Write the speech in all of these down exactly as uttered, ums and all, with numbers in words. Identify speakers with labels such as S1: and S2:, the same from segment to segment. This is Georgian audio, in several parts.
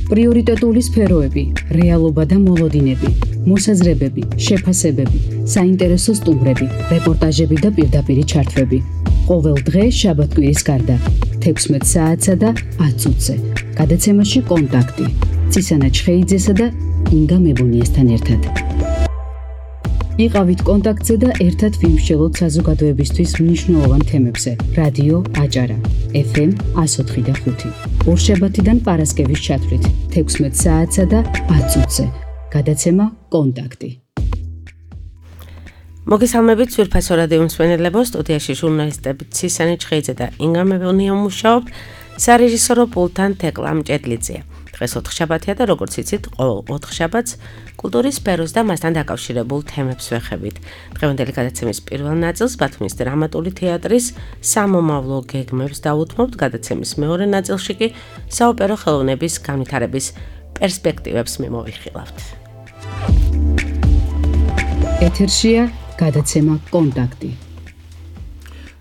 S1: პრიორიტეტული სფეროები, რეალობა და მოლოდინები, მოსაზრებები, შეფასებები, საინტერესო სტუმრები, რეპორტაჟები და პირდაპირი ჩართვები. ყოველ დღე შაბათ-კვირის გარდა, თექვსმეტ საათსა და ათ წუთზე. გადაცემაში კონტაქტი. ცისანა ჩხეიძესა და ინგა მებუნიესთან ერთად. იყავით კონტაქტზე და ერთად ვიმსჯელოთ საზოგადოებისთვის მნიშვნელოვან თემებზე. რადიო აჭარა, ეფ ემ εκατო ოთხი და ხუთი. ორშაბათიდან პარასკევის ჩათვლით, თექვსმეტ საათსა და ათ წუთზე. გადაცემა კონტაქტი.
S2: მოგესალმებით ძვირფასო რადიო მსმენელებო, სტუდიაში ჟურნალისტები ცისანა ჩხეიძე და ინგა მებუნია მუშაობ, სარეჟისორო პულტთან თეკლა მჭედლიძეა. დღეს ოთხშაბათია და როგორც იცით, ყოველ ოთხშაბათს კულტურის სფეროს და მასთან დაკავშირებულ თემებს ვეხებით. დღევანდელი გადაცემის პირველ ნაწილს ბათუმის დრამატული თეატრის სამომავლო გეგმებს დავუთმობთ, გადაცემის მეორე ნაწილში კი საოპერო ხელოვნების განვითარების პერსპექტივებს მიმოვიხილავთ.
S1: ეთერშია გადაცემა კონტაქტი.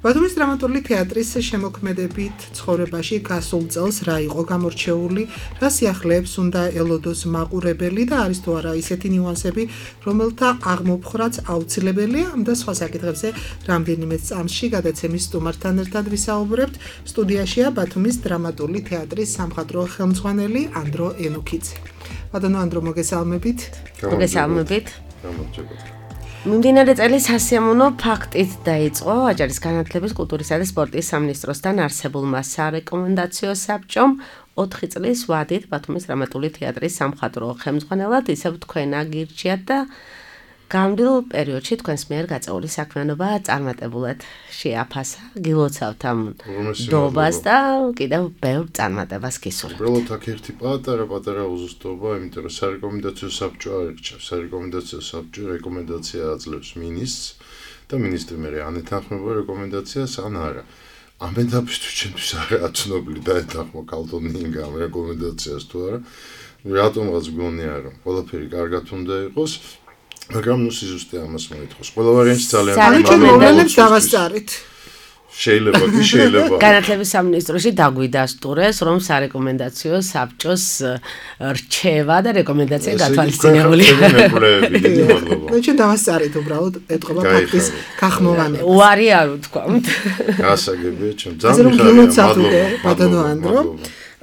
S3: ბათუმის დრამატული თეატრის შემოქმედებით ცხოვრებაში გასულ წელს რა იყო გამორჩეული, რა სიახლეებს უნდა ელოდოს მაყურებელი და არის თუ არა ისეთი ნიუანსები, რომელთა აღმოფხრაც აუცილებელია, ამ და სხვა საკითხებზე რამდენიმე წამსში გადაცემის სტუმართან ერთად ვისაუბრებთ. სტუდიაშია ბათუმის დრამატული თეატრის სამხატვრო ხელმძღვანელი ანდრო ენუქიძე. ბატონო ანდრო, მოგესალმებით.
S2: მოგესალმებით. მიმდინარე წელი სასიამოვნო ფაქტით დაიწყო აჭარის განათლების, კულტურისა და სპორტის სამინისტროსთან არსებულმა სარეკომენდაციო საბჭომ ოთხი წლის ვადით ბათუმის დრამატული თეატრის სამხატვრო ხელმძღვანელად ისევ თქვენ აგირჩიათ და გამძლე პერიოდში თქვენს მიერ გაწეული საქმიანობა წარმატებულად შეაფასა. გილოცავთ ამ დობას და კიდევ ბევრ წარმატებას გისურვებთ.
S4: უბრალოდ აქ ერთი პატარა პატარა უზუსტობა, იმიტომ რომ სარეკომენდაციო საბჭო არ ირჩევს. სარეკომენდაციო საბჭო რეკომენდაცია აძლევს მინისტრს და მინისტრი მე ანეთანხმება რეკომენდაციას ან არა. ამ ეტაპისთვის ჩემთვის არაა ცნობილი და ეთანხმო ქალბატონ ინგა ამ რეკომენდაციას თუ არა. რატომღაც გონია რომ ყველაფერი კარგად უნდა იყოს. მაგრამ ნუ სიზუსტე ამას მოითხოვს. ყველა ვარიანტი ძალიან
S3: მოგვიანებით დავასწარით.
S4: შეიძლება კი შეიძლება.
S2: განათლების სამინისტროში დაგვიდასტურეს, რომ სარეკომენდაციო საბჭოს რჩევა და რეკომენდაცია გათვალისწინებულია.
S3: მე ჩვენ დავასწარით უბრალოდ ეთყობა ფაქტის გახმოვანება.
S2: უარი არ ვთქვამთ.
S4: გასაგებია ჩვენ ძალიან მიხარია.
S3: ბატონო ანდრო.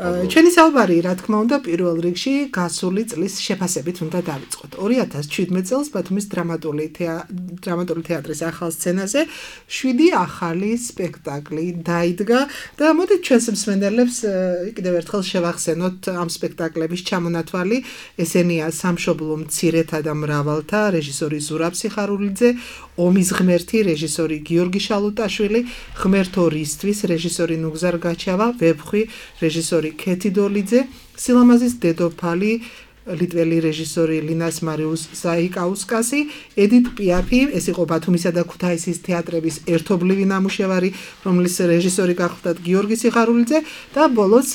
S3: ჩვენი საუბარი, რა თქმა უნდა, პირველ რიგში გასული წლის შეფასებით უნდა დავიწყოთ. ორი ათას შვიდმეტ წელს ბათუმის დრამატული დრამატული თეატრის ახალ სცენაზე შვიდი ახალი სპექტაკლი დაიდგა და მოდით ჩვენს მსმენელებს კიდევ ერთხელ შევახსენოთ ამ სპექტაკლების ჩამონათვალი. ესენია სამშობლო მცირეთა და მრავალთა, რეჟისორი ზურაბ სიხარულიძე, ომის ღმერთი, რეჟისორი გიორგი შალუტაშვილი, ღმერთო რისთვის, რეჟისორი ნუგზარ გაჩავა, ვებხვი, რეჟისორი ქეთი დოლიძე, სილამაზის დედოფალი, ლიტველი რეჟისორი ლინას მარიუს ზაიკაუსკასი, ედით პიაფი, ეს იყო ბათუმისა და ქუთაისის თეატრების ერთობლივი ნამუშევარი, რომლის რეჟისორი გახლდათ გიორგი სიხარულიძე და ბოლოს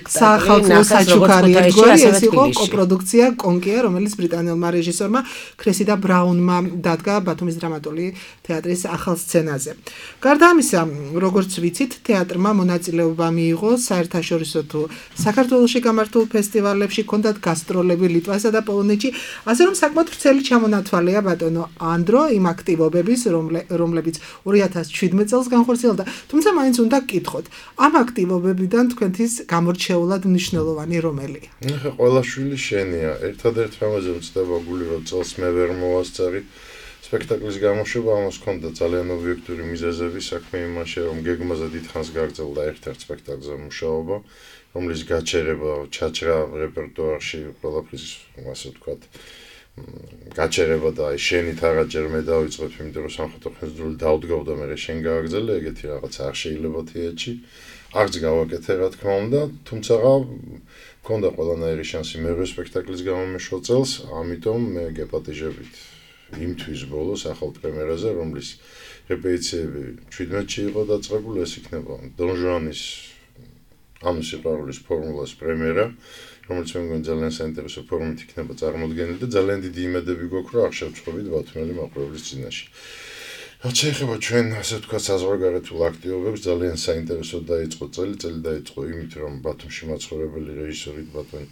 S3: სახალხო საჩუქარი ერთგვარი, ეს იყო კოპროდუქცია კონკია, რომელიც ბრიტანელმა რეჟისორმა ქრესიდა ბრაუნმა დადგა ბათუმის დრამატული თეატრის ახალ სცენაზე. გარდა ამისა, როგორც ვიცით, თეატრმა მონაწილეობა მიიღო საერთაშორისო თუ საქართველოში გამართულ ფესტივალებში, ჰქონდათ გასტრო ლიტვასა და პოლონეთში, ასე რომ საკმაოდ ვრცელი ჩამონათვალია ბატონო ანდრო იმ აქტივობების, რომლებიც ორი ათას შვიდმეტ წელს განხორციელდა. თუმცა მაინც უნდა გკითხოთ, ამ აქტივობებიდან თქვენთვის გამორჩეულად მნიშვნელოვანი რომელია?
S4: ეხა ყველა შვილი შენია. ერთადერთ რამაზე ვწდება გული, რომ წელს მე ვერ მოვასწარი სპექტაკლის გამოშვება, ამას ჰქონდა ძალიან ობიექტური მიზეზები, საქმე იმაში, რომ გეგმაზე დიდხანს გაგრძელდა ერთ-ერთ სპექტაკლზე მუშაობა, რომლის გაჩერება, ჩაჭრა რეპერტუარში ყველაფრის, ასე ვთქვათ, გაჩერება და აი შენით აღაჯერ მე დავიწყებ, იმიტომ რომ სამხატვრო ხელისუფლება დაუდგავდა მე შენ გააგრძელე, ეგეთი რაღაც არ შეიძლება თეატრში. არც გავაკეთე, რა თქმა უნდა, თუმცა მქონდა ყველანაირი შანსი მეორე სპექტაკლის გამომეშვა წელს, ამიტომ მე გეპატიჟებით იმთვის ბოლოს ახალ პრემიერაზე, რომლის რეპეტიციები შვიდმეტში იყო დაწყებული, ეს იქნება დონ ჟუანის ამ სიყვარულის ფორმულას პრემიერა, რომელიც მე მგონი ძალიან საინტერესო ფორმით იქნება წარმოდგენილი და ძალიან დიდი იმედები გვაქვს, რომ არ შევწყვებით ბათუმელი მაყურებლის წინაშე. რაც შეეხება ჩვენ ასე ვთქვათ საზღვარგარეთულ აქტივობებს, ძალიან საინტერესო დაიწყო წელი, წელი დაიწყო იმით, რომ ბათუმში მაცხოვრებელი რეჟისორი ბატონ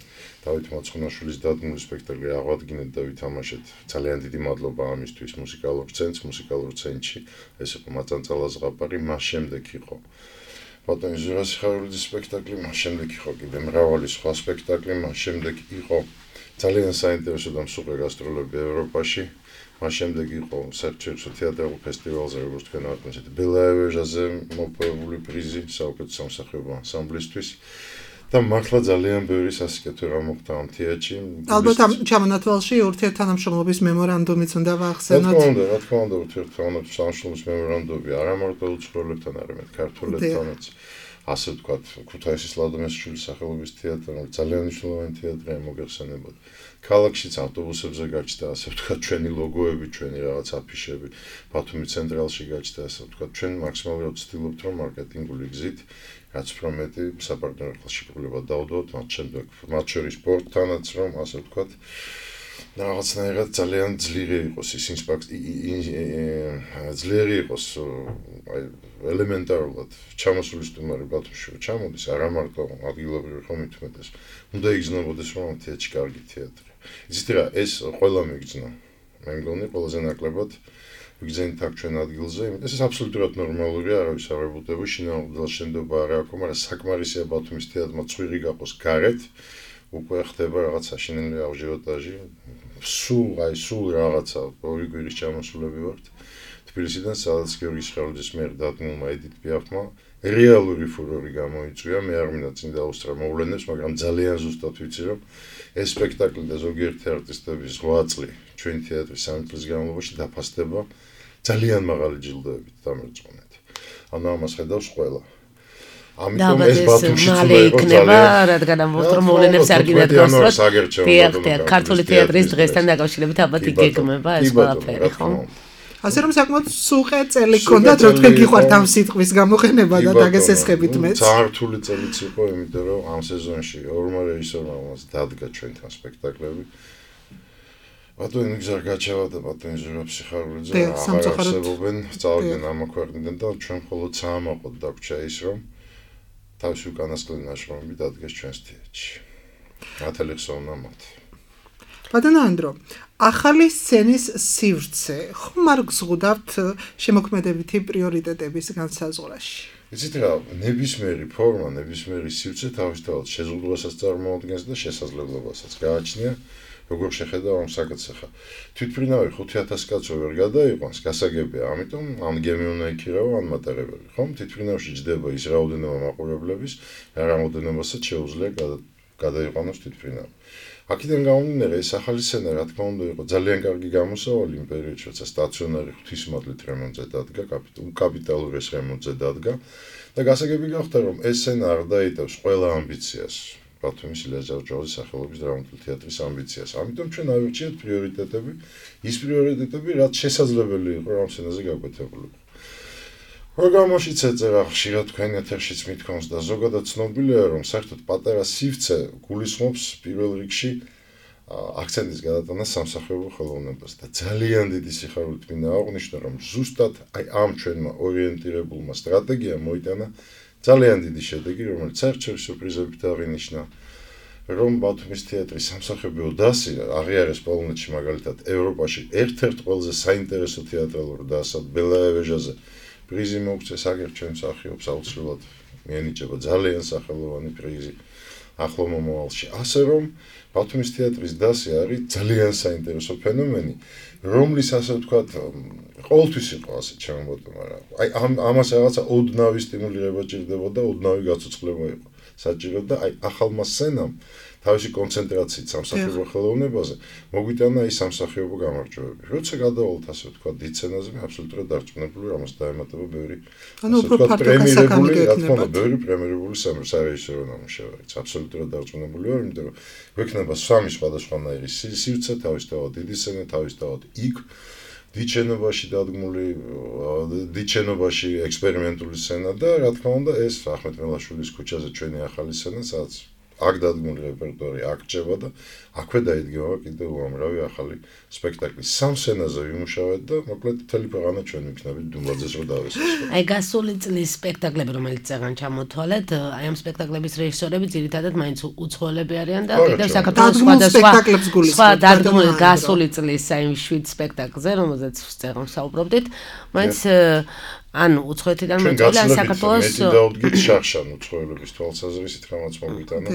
S4: დავით მაცხონაშვილის დადგმული სპექტაკლი აღვადგინეთ და ვითამაშეთ. ძალიან დიდი მადლობა ამისთვის მუსიკალურ ცენტრს, მუსიკალურ ცენტრში, ეს იყო მაწანწალა ზღაპარი, მას შემდეგ იყო ბატონ ჟურას ხარულიძის სპექტაკლი, მას შემდეგ იყო კიდე მრავალი სხვა სპექტაკლი, მას შემდეგ იყო ძალიან საინტერესო და მსუყე გასტროლები ევროპაში. მას შემდეგ იყო საერთაშორისო თეატრალურ ფესტივალზე, როგორც თქვენ ვაკეთეთ, ბელაევეჟაზე მოპოვებული პრიზი საუკეთესო სამსახიობო ანსამბლისთვის და მართლა ძალიან ბევრი სასიკეთო რამ მოხდა ამ თეატრში.
S3: ალბათ ამ ჩამონათვალში ურთიერთთანამშრომლობის მემორანდუმიც უნდა ვახსენოთ.
S4: რა თქმა უნდა, რა თქმა უნდა, ურთიერთთანამშრომლობის მემორანდუმი არა მარტო უცხოელებთან, არამედ ქართველებთანაც. ასე ვთქვათ, ქუთაისის ლადომეშვილის სახელობის თეატრი ძალიან მნიშვნელოვანი თეატრია მოგეხსენებოდ. ქალაქშიც ავტობუსებზე გაჩნდა, ასე ვთქვათ, ჩვენი ლოგოები, ჩვენი რაღაც აფიშები, ბათუმის ცენტრალში გაჩნდა, ასე ვთქვათ, ჩვენ მაქსიმალურად ვცდილობთ, რომ მარკეტინგული გზით, რაც უფრო მეტი საპარტნიორო ხელშეკრულება დავდოთ, მათ შემდეგ, მათ შორის სპორტთანაც, რომ ასე ვთქვათ, რაღაცნაირად ძალიან ძლიერი იყოს ის ინსპექცია, ძლიერი იყოს აი ელემენტარულად ჩამოსული სტუმარი ბათუმში ჩამოდის, არა მარტო ადგილობრივი ხომ მithumetes. უნდა იგრძნობოდეს, რომ ამ თეატრში კარგი თეატრია. იცით რა, ეს ყველა მიგრძნო. მე მგონი ყველაზე ნაკლებად ვიგზენით აქ ჩვენ ადგილზე, იმიტომ ეს აბსოლუტურად ნორმალურია, არავის არ ებუტება, შინაურ შენდობა არ აქვს, მაგრამ საკმარისია ბათუმის თეატრმა ცვირი გაყოს გარეთ. უკვე ხდება რაღაც საშინელი აჟიოტაჟი. სულ აი სულ რაღაცა ორი კვირის ჩამოსულები ვართ. თბილისიდან სადაც გიორგის ხარულიძის მიერ დადგმულმა ედით პიაფმა რეალური ფურორი გამოიწვია. მე არ მინდა წინ დაუსწრა მოვლენებს, მაგრამ ძალიან ზუსტად ვიცი, რომ ეს სპექტაკლი და ზოგიერთი არტისტების რვა წლი ჩვენ თეატრის სამი წლის განმავლობაში დაფასდება ძალიან მაღალი ჯილდოებით დამერწმუნეთ. ანუ ამას ხედავს ყველა.
S2: ამიტომ ეს ბათუმში მალე იქნება, რადგან ამ მოვლენებს არ გინდათ გასწროთ. თეატრი, ქართული თეატრის დღესთან დაკავშირებით ალბათ იგეგმება ეს ყველაფერი, ხო?
S3: ასე რომ საკმაოდ სუყე წელი გქონდათ, რომ თქვენ გიყვართ ამ სიტყვის გამოყენება და დაგესესხებით მეც.
S4: საერთული წელიც იყო, იმიტომ რომ ამ სეზონში ორმა რეჟისორმა მას დადგა ჩვენთან სპექტაკლები. ბატონი ნიგზარ გაჩევა და ბატონი ჟურაფში ხარულიძე აღარსებობენ, წავიდნენ ამ ქვეყნიდან და ჩვენ მხოლოდ საამაყოდ დაგვჭა ის, რომ თავისი უკანასკნელი ნაშრომები დადგეს ჩვენს თეატრში. მართალი ხსოვნა მათ.
S3: ბატონო ანდრო, ახალი სცენის სივრცე ხომ არ გზღუდავთ შემოქმედებითი პრიორიტეტების განსაზღვრაში?
S4: იცით რა, ნებისმიერი ფორმა, ნებისმიერი სივრცე თავისთავად შეზღუდვასაც წარმოადგენს და შესაძლებლობასაც გააჩნია. როგორ შეხედავ ამ საკითხს ახლა. თვითმფრინავი ხუთი ათას კაცო ვერ გადაიყვანს, გასაგებია, ამიტომ ან გემი უნდა იქირავა, ან მატარებელი, ხომ? თვითმფრინავში ჯდება ის რაოდენობა მაყურებლების, რა რაოდენობასაც შეუძლია გადაიყვანოს თვითმფრინავი. აქედან გამომდინარე, ეს ახალი სცენა, რა თქმა უნდა, იყო ძალიან კარგი გამოსავალი იმ პერიოდში, როცა სტაციონარი ღვთისმადლით რემონტზე დადგა, კაპიტალურ ეს რემონტზე დადგა და გასაგები გახდა, რომ ეს სცენა არ დაიტევს ყველა ამბიციას. ბათუმის ილია ჯავჯავაძის სახელობის დრამატული თეატრის ამბიციას. ამიტომ ჩვენ ავირჩიეთ პრიორიტეტები, ის პრიორიტეტები, რაც შესაძლებელი იყო ამ სცენაზე გაკვეთებულიყო. პროგრამაშიც ეწერა ხშირად თქვენ ეთერშიც მithქვამს და ზოგადად ცნობილია, რომ საერთოდ პატარა სივრცე გულისხმობს პირველ რიგში აქცენტის გადატანას სამსახიობო ხელოვნებას და ძალიან დიდი სიხარულით მინდა აღვნიშნო, რომ ზუსტად აი ამ ჩვენმა ორიენტირებულმა სტრატეგიამ მოიტანა ძალიან დიდი შედეგი, რომელიც საერთაშორისო პრიზებით აღინიშნა, რომ ბათუმის თეატრის სამსახიობო დასი აღიარეს პოლონეთში მაგალითად ევროპაში ერთ-ერთ ყველაზე საინტერესო თეატრალურ დასად ბელაევეჟაზე პრიზი მოუწეს, აგერ ჩვენ მსახიობს აუცილებლად მიენიჭება ძალიან სახელოვანი პრიზი ახლო მომავალში. ასე რომ ბათუმის თეატრის დასი არის ძალიან საინტერესო ფენომენი, რომლის ასე ვთქვათ ყოველთვის იყო ასე ჩემბოთო, მაგრამ აი ამ ამას რაღაცა ოდნავი სტიმულირება ჭირდებოდა, ოდნავი გაცოცხლება იყო საჭირო და აი ახალმა სცენამ თავისი კონცენტრაციით სამსახიობო ხელოვნებაზე მოგვიტანა ის სამსახიობო გამარჯვებები. როცა გადავალთ ასე ვთქვათ დიდ სცენაზე, მე აბსოლუტურად დარწმუნებული, რომ ამას დაემატება ბევრი
S3: ანუ უფრო ფართო გასაკამი
S4: გექნება. ბევრი პრემიერული სარეჟისორო ნამუშევარიც. აბსოლუტურად დარწმუნებული ვარ, იმიტომ რომ გვექნება სამი სხვადასხვანაირი სივრცე, თავისთავად დიდი სცენა, თავისთავად იქ დიდ შენობაში დადგმული, დიდ შენობაში ექსპერიმენტული სცენა და რა თქმა უნდა ეს ახმეტ მელაშვილის ქუჩაზე ჩვენი ახალი სცენა, სადაც აქ დადგმული რეპერტუარი აქ ჭება და აქვე დაიდგება კიდევ უამრავი ახალი სპექტაკლი. სამ სცენაზე ვიმუშავეთ და მოკლედ მთელი ქვეყანა ჩვენ ვიქნებით დუმბაძეს რო დავესწროთ.
S2: აი გასული წლის სპექტაკლები, რომელიც წეგან ჩამოთვალეთ, აი ამ სპექტაკლების რეჟისორები ძირითადად მაინც უცხოელები არიან და კიდევ საქართველოს სხვადასხვა სხვა დადგმული გასული წლის აი შვიდ სპექტაკლზე, რომელზეც წეგან საუბრობდით, მაინც ანუ უცხოეთიდან მოწვეული ან საქართველოს
S4: მეტი დაუდგით შახშან უცხოელების თვალსაზრისით რამაც მოგვიტანა.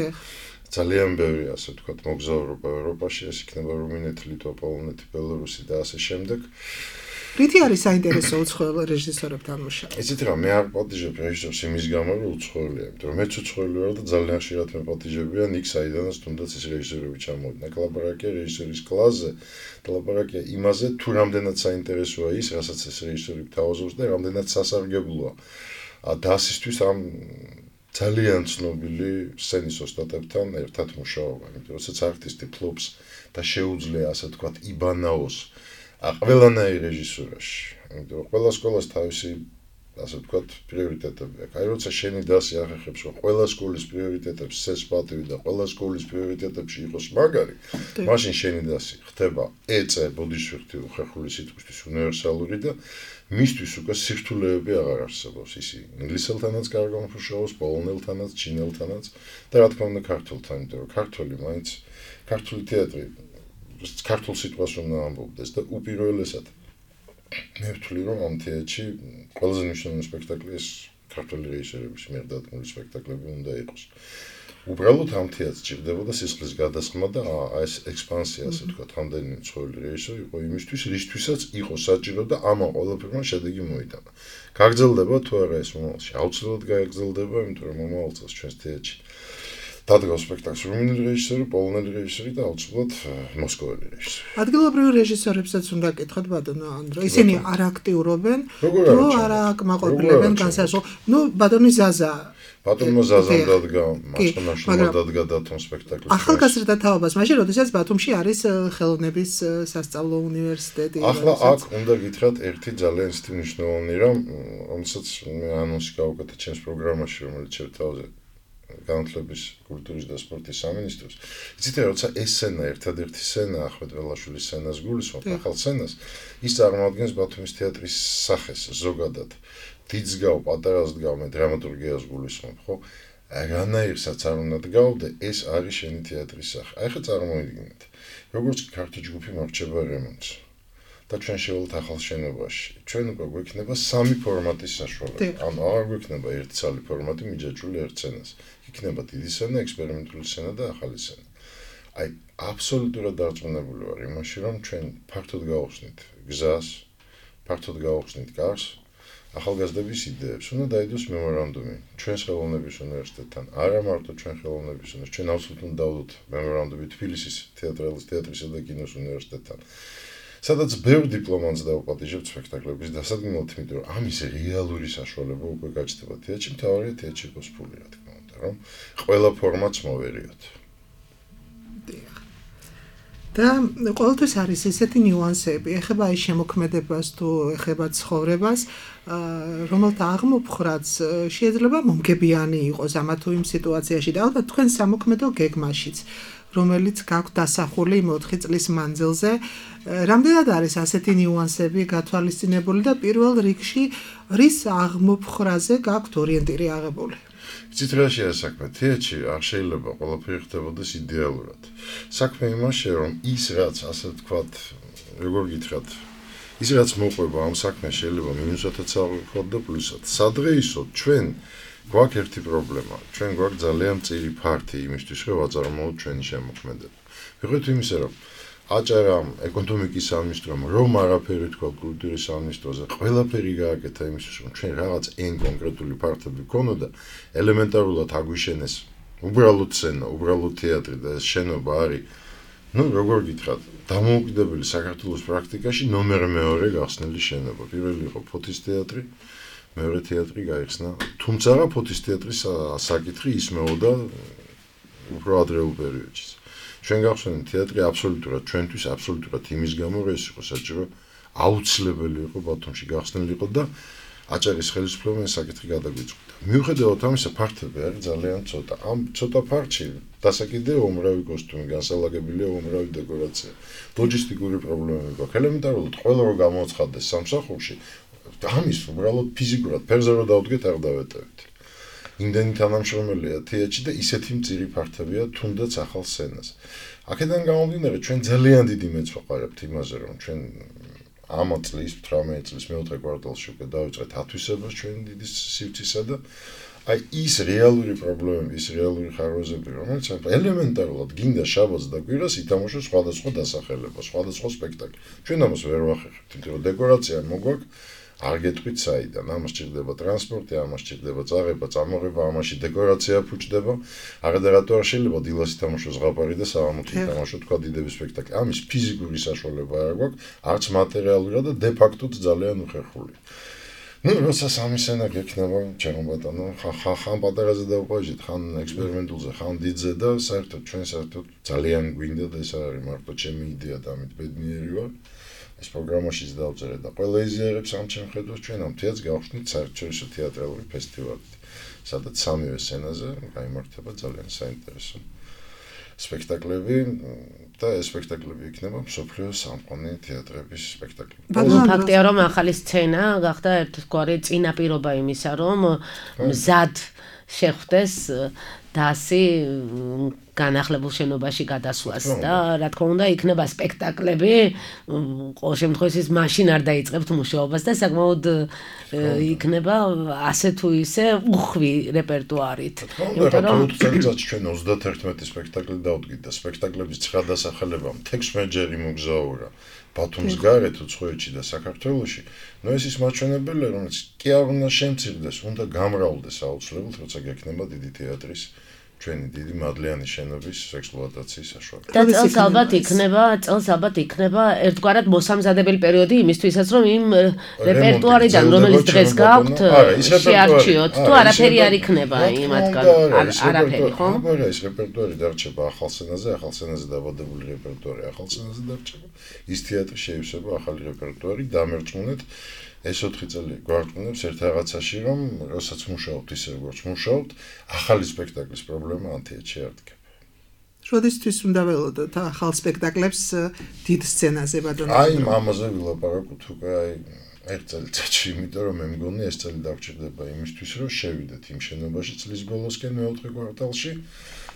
S4: ძალიან ბევრი ასე ვთქვათ მოგზაურობა ევროპაში, ეს იქნება რუმინეთი, ლიტვა, პოლონეთი, ბელორუსი და ასე შემდეგ.
S3: რითი არის საინტერესო უცხოელ რეჟისორებთან მუშაობა?
S4: იცით რა, მე არ პატიჟებ რეჟისორს იმის გამო, რომ უცხოელია, იმიტომ რომ მეც უცხოელი ვარ და ძალიან ხშირად მე პატიჟებიან იქ საიდანაც თუნდაც ეს რეჟისორები ჩამოვიდნენ. ლაპარაკია რეჟისორის კლასზე, ლაპარაკია იმაზე, თუ რამდენად საინტერესოა ის, რასაც ეს რეჟისორი გთავაზობს და რამდენად სასარგებლოა. დასისთვის ამ ძალიან ცნობილი სცენის ოსტატებთან ერთად მუშაობა, იმიტომ რომ როცა არტისტი ფლობს და შეუძლია ასე ვთქვათ იბანაოს ყველანაირ რეჟისურაში, იმიტომ რომ ყველა სკოლას თავისი ასე ვთქვათ პრიორიტეტები აქვს. აი როცა შენი დასი ახერხებს, რომ ყველა სკოლის პრიორიტეტებს წეს პატივი და ყველა სკოლის პრიორიტეტებში იყოს მაგარი, მაშინ შენი დასი ხდება ეწე ბოდიშვილთი უხერხული სიტყვისთვის უნივერსალური და მისთვის უკვე სირთულეები აღარ არსებობს. ისი ინგლისელთანაც კარგ მუშაობს, პოლონელთანაც, ჩინელთანაც და რა თქმა უნდა ქართულთან, იმიტომ რომ ქართული მაინც ქართული თეატრი ქართულ სიტყვას უნდა ამბობდეს და უპირველესად მე ვთვლი რომ ამ თეატრში ყველაზე მნიშვნელოვანი სპექტაკლი ეს ქართული რეჟისორების მიერ დადგმული სპექტაკლები უნდა იყოს. უბრალოდ ამ თეატრს ჭირდებოდა სისხლის გადასხმა და ეს ექსპანსია, ასე ვთქვათ, რამდენიმე ცხოველი რეჟისორი იყო იმისთვის, რისთვისაც იყო საჭირო და ამან ყველაფერმა შედეგი მოიტანა. გაგრძელდება თუ არა ეს მომავალში? აუცილებლად გაგრძელდება, იმიტომ რომ მომავალ წელს ჩვენს თეატრში დადგავს სპექტაკლს რუმინელი რეჟისორი, პოლონელი რეჟისორი და აუცილებლად მოსკოველი რეჟისორი.
S3: ადგილობრივ რეჟისორებსაც უნდა კითხოთ ბატონო ანდრო. ისინი არ აქტიურობენ, თუ არა აკმაყოფილებენ განსაზღვრულ. ნუ ბატონი ზაზა
S4: ბატონმა ზაზამ დადგა, მასწავლებლმა დადგა დათომ სპექტაკლი.
S3: ახალგაზრდა თაობას, მაშინ როდესაც ბათუმში არის ხელოვნების სასწავლო უნივერსიტეტი.
S4: ახლა აქ უნდა გითხრათ ერთი ძალიან ისეთი მნიშვნელოვანი რამ, რომელსაც მე ანონსი გავუკეთე ჩემს პროგრამაში, რომელიც შეთავაზე განათლების, კულტურის და სპორტის სამინისტროს. იცით რა, როცა ეს სცენა ერთადერთი სცენა ახმედ ველაშვილის სცენას გულისხმობ, ახალ სცენას, ის წარმოადგენს ბათუმის თეატრის სახეს ზოგადად. დიდსგავ, პატარასდგავ მე დრამატურგიას გულისხმობ, ხო? რანაირსაც არ უნდა დგავდე, ეს არის შენი თეატრის სახე. აი ხა წარმოიდგინეთ. როგორც კი ქართული ჯგუფი მარჩება რემონტს და ჩვენ შევალთ ახალ შენობაში. ჩვენ უკვე გვექნება სამი ფორმატის საშუალება. ანუ აღარ გვექნება ერთი ცალი ფორმატი მიჯაჭვული ერთ სცენას. იქნება დიდი სცენა, ექსპერიმენტული სცენა და ახალი სცენა. აი, აბსოლუტურად დარწმუნებული ვარ იმაში, რომ ჩვენ ფართოდ გავხსნით გზას, ფართოდ გავხსნით კარს, ახალგაზრდების იდეებს უნდა დაიდოს მემორანდუმი ჩვენს ხელოვნების უნივერსიტეტთან. არა მარტო ჩვენ ხელოვნების უნივერსიტეტთან, ჩვენ აბსოლუტურად დავდოთ მემორანდუმი თბილისის თეატრალის თეატრისა და კინოს უნივერსიტეტთან. სადაც ბევრ დიპლომანტს დავუპატიჟებთ სპექტაკლების დასადგმელად, იმიტომ რომ ამის რეალური საშუალება უკვე გაჩნდება თეატრში, მთავარია თეატრში იყოს ფული, რა თქმა უნდა, რომ ყველა ფორმატს მოვერიოთ.
S3: და ყოველთვის არის ესეთი ნიუანსები, ეხება ის შემოქმედებას თუ ეხება ცხოვრებას, რომელთა აღმოფხრაც შეიძლება მომგებიანი იყოს ამა თუ იმ სიტუაციაში და ალბათ თქვენ სამოქმედო გეგმაშიც, რომელიც გაქვთ დასახული მოთხი წლის მანძილზე, რამდენად არის ასეთი ნიუანსები გათვალისწინებული და პირველ რიგში რის აღმოფხრაზე გაქვთ ორიენტირი აღებული?
S4: იცით რა შეიძლება საქმე? თეატრში არ შეიძლება ყველაფერი ხდებოდეს იდეალურად. საქმე იმაშია, რომ ის რაც ასე ვთქვათ, როგორ გითხრათ, ის რაც მოყვება ამ საქმეს შეიძლება მინუსათაც ავიღოთ და პლუსად. სადღეისოდ ჩვენ გვაქვს ერთი პრობლემა. ჩვენ გვაქვს ძალიან მწირი ფართი იმისთვის, რომ ვაწარმოოთ ჩვენი შემოქმედება. ვიღოთ იმისა, რომ აჭარამ ეკონომიკის სამინისტრომ რომ არაფერი თქვა კულტურის სამინისტროზე, ყველაფერი გააკეთა იმისთვის, რომ ჩვენ რაღაც ენ კონკრეტული ფართები გქონოდა, ელემენტარულად აგვიშენეს უბრალოდ სცენა, უბრალოდ თეატრი და ეს შენობა არის, ну, როგორ გითხრათ, დამოუკიდებელი საქართველოს პრაქტიკაში ნომერ მეორე გახსნილი შენობა. პირველი იყო ფოთის თეატრი, მეორე თეატრი გაიხსნა, თუმცა ფოთის თეატრის საკითხი ისმეოდა უფრო ადრეულ პერიოდში. ჩვენ გავხსენეთ თეატრი აბსოლუტურად ჩვენთვის აბსოლუტურად იმის გამო, რომ ეს იყო საჭირო, აუცილებელი იყო ბათუმში გახსნილიყო და აჭარის ხელისუფლებამ საკითხი გადაგვიწყვიტა. მიუხედავად ამისა, ფართები არის ძალიან ცოტა. ამ ცოტა ფართში დასაკიდე უმრავი კოსტუმი, განსალაგებელია უმრავი დეკორაცია. ლოჯისტიკური პრობლემები გვაქვს. ელემენტარულად ყველა რო გამოაცხადდეს სამსახურში, ამის უბრალოდ ფიზიკურად ფერზე რო დავდგეთ არ დავეტევით. იმდენი თანამშრომელია თეატრში და ისეთი მწირი ფართებია თუნდაც ახალ სცენაზე. აქედან გამომდინარე, ჩვენ ძალიან დიდი მეც ვაყარებთ იმაზე, რომ ჩვენ ამ წლის თხამეტ წლის მეოთხე კვარტალში უკვე დავიწყეთ ათვისებას ჩვენი დიდი სივრცისა და აი ის რეალური პრობლემები, ის რეალური ხარვეზები, რომელიც ელემენტარულად გინდა შაბათს და კვირას ითამაშოს სხვადასხვა დასახელება, სხვადასხვა სპექტაკლი. ჩვენ ამას ვერ ვახერხებთ, იმიტომ რომ დეკორაცია მოგვაქვს, არ გეტყვით საიდან, ამას ჭირდება ტრანსპორტი, ამას ჭირდება წაღება, წამოღება, ამაში დეკორაცია ფუჭდება. აღარადარათო არ შეიძლება დილას ითამაშოს ზღაპარი და საღამოთი ითამაშოს თქვა დიდები სპექტაკლი. ამის ფიზიკური საშუალება არ გვაქვს, არც მატერიალურად და დე ფაქტოდ ძალიან უხერხულია. ნუ როცა სამი სცენა გექნება, ჩემო ბატონო, ხან ხან პატარაზე დავყვაჟეთ, ხან ექსპერიმენტულზე, ხან დიდზე და საერთოდ ჩვენ საერთოდ ძალიან გვინდა და ეს არის მარტო ჩემი იდეა და ამით ბედნიერი ვარ. ეს პროგრამაშიც დავწერე და ყველა იზიარებს ამ ჩემ ხედვას ჩვენ ამ თეატრს გავხსნით საერთაშორისო თეატრალური ფესტივალი, სადაც სამივე სცენაზე გაიმართება ძალიან საინტერესო სპექტაკლები და ეს სპექტაკლები იქნება მსოფლიოს სამყარო თეატრების სპექტაკლები.
S2: ფაქტია რომ ახალი სცენა გახდა ერთგვარი წინაპირობა იმისა, რომ მზად შეხვდეს დასი განახლებულ შენობაში გადასვლას და რა თქმა უნდა იქნება სპექტაკლები, ყოველ შემთხვევაში ის მაშინ არ დაიწყებთ მუშაობას და საკმაოდ იქნება ასე თუ ისე უხვი რეპერტუარით.
S4: იმიტომ რომ წელიწადში ჩვენ ოცდათერთმეტი სპექტაკლი დავდგით და სპექტაკლების ცხრა დასახელება თექვსმეტჯერ იმოგზაურა ბათუმს გარეთ, უცხოეთში და საქართველოში. ნუ ეს ის მაჩვენებელია, რომელიც კი არ უნდა შემცირდეს, უნდა გამრავლდეს აუცილებლად, როცა გექნება დიდი თეატრის ჩვენი დიდი მადლიანი შენობის ექსპლუატაციის საშუალება.
S2: და წელს ალბათ იქნება, წელს ალბათ იქნება ერთგვარად მოსამზადებელი პერიოდი იმისთვისაც, რომ იმ რეპერტუარიდან, რომელიც დღეს გაქვთ, შეარჩიოთ, თუ არაფერი არ იქნება იმათგან, არაფერი, ხო?
S4: არა, ეს რეპერტუარი დარჩება ახალ სცენაზე, ახალ სცენაზე დაბადებული რეპერტუარი ახალ სცენაზე დარჩება. ის თეატრი შეივსება ახალი რეპერტუარი, დამერწმუნეთ. ეს ოთხი წელი გვარწმუნებს ერთ რაღაცაში, რომ როდესაც მუშაობთ ისე როგორც მუშაობთ, ახალი სპექტაკლის პრობლემა ამ თეატრში არ დგება.
S3: როდესთვის უნდა ველოდოთ ახალ სპექტაკლებს დიდ სცენაზე ბატონო?
S4: აი, ამაზე ვილაპარაკოთ უკვე აი ერთ წელიწადში, იმიტომ რომ მე მგონი ეს წელი დაგჭირდება იმისთვის, რომ შევიდეთ იმ შენობაში წლის ბოლოსკენ მეოთხე კვარტალში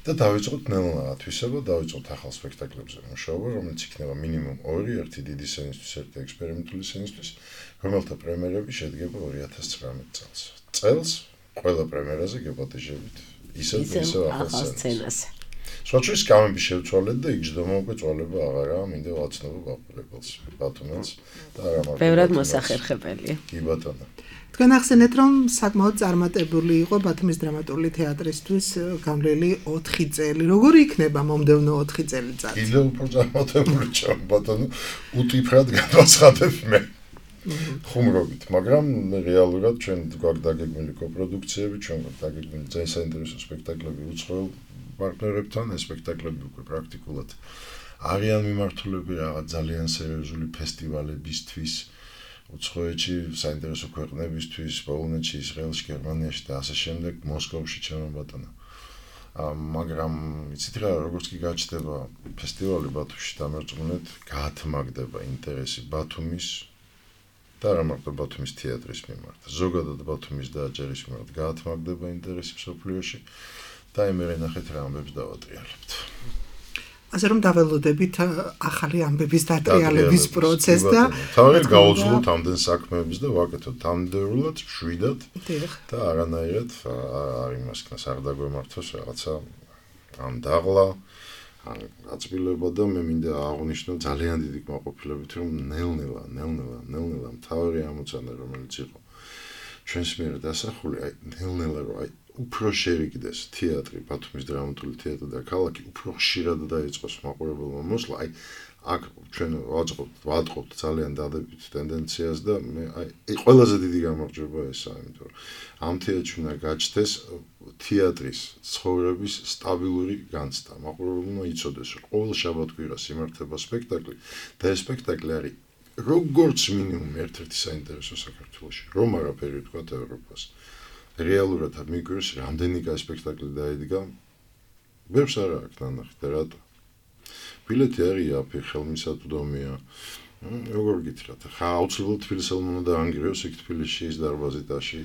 S4: და დავიწყოთ ნელ-ნელა ათვისება, დავიწყოთ ახალ სპექტაკლებზე მუშაობა, რომელიც იქნება მინიმუმ ორი, ერთი დიდი სცენისთვის, ერთი ექსპერიმენტული სცენისთვის, რომელთა პრემიერები შედგება ორი ათას ცხრამეტ წელს. წელს ყველა პრემიერაზე გეპატიჟებით ისევ ისევ ახალ სცენაზე. სხვათვის გამები შევცვალეთ და იგჯდომა უკვე წვალება აღარაა, მინდა ვაცნობო ბაბულებელს, ბათუმელს და არა მარტო.
S2: ბევრად მოსახერხებელია.
S4: კი ბატონო.
S3: თქვენ ახსენეთ, რომ საკმაოდ წარმატებული იყო ბათუმის დრამატული თეატრისთვის გამლელი ოთხი წელი. როგორი იქნება მომდევნო ოთხი წელიწადი?
S4: კიდევ უფრო წარმატებული ჩემ ბატონო, უტიფრად გადაცხადებ მე. ხუმრობით, მაგრამ რეალურად ჩვენ გვაქვს დაგეგმილი კოპროდუქციები, ჩვენ გვაქვს დაგეგმილი ძალიან საინტერესო სპექტაკლები უცხოელ პარტნიორებთან, ეს სპექტაკლები უკვე პრაქტიკულად არიან მიმართულები რაღაც ძალიან სერიოზული ფესტივალებისთვის, უცხოეთში, საინტერესო ქვეყნებისთვის, პოლონეთში, ისრაელში, გერმანიაში და ასე შემდეგ, მოსკოვში ჩემო ბატონო. მაგრამ იცით რა, როგორც კი გაჩნდება ფესტივალი ბათუმში, დამერწმუნეთ, გაათმაგდება ინტერესი ბათუმის და არა მარტო ბათუმის თეატრის მიმართ, ზოგადად ბათუმის და აჭარის მიმართ გაათმაგდება ინტერესი მსოფლიოში და იმერე ნახეთ რა ამბებს დავატრიალებთ.
S3: ასე რომ დაველოდებით ახალი ამბების დატრიალების პროცესს და
S4: თავი გაუძლოთ ამდენ საქმეებს და ვაკეთოთ ამდენულად შვიდად და არანაირად არ იმასკნას არ დაგვემართოს რაღაცა ამ დაღლა აწმილება და მე მინდა აღვნიშნო ძალიან დიდი კმაყოფილებით, რომ ნელ-ნელა, ნელ-ნელა, ნელ-ნელა მთავარი ამოცანა, რომელიც იყო ჩვენს მიერ დასახული, აი ნელ-ნელა რომ აი უფრო შერიგდეს თეატრი, ბათუმის დრამატული თეატრი და ქალაქი უფრო ხშირად დაიწყოს მაყურებელმა მოსვლა, აი აქ ჩვენ ვაწყობთ, ვატყობთ ძალიან დადებით ტენდენციას და მე აი ყველაზე დიდი გამარჯვება ესაა, იმიტომ რომ ამ თეატრში უნდა გაჩნდეს თეატრის ცხოვრების სტაბილური განცდა. მაყურებელმა იცოდეს, რომ ყოველ შაბათ-კვირას იმართება სპექტაკლი და ეს სპექტაკლი არის როგორც მინიმუმ ერთ-ერთი საინტერესო საქართველოში, რომ არაფერი თქვა ევროპას. რეალურად მიგვირს რამდენი კაი სპექტაკლი დაიდგა, ვერც არ აქვს ნანახი და რატო? ბილეთი არის აფი, ხელმისაწვდომია. როგორ გითხრათ, ხა აუცილებლად თბილისელმა უნდა ანგრიოს იქ თბილისში ის დარბაზი დაში.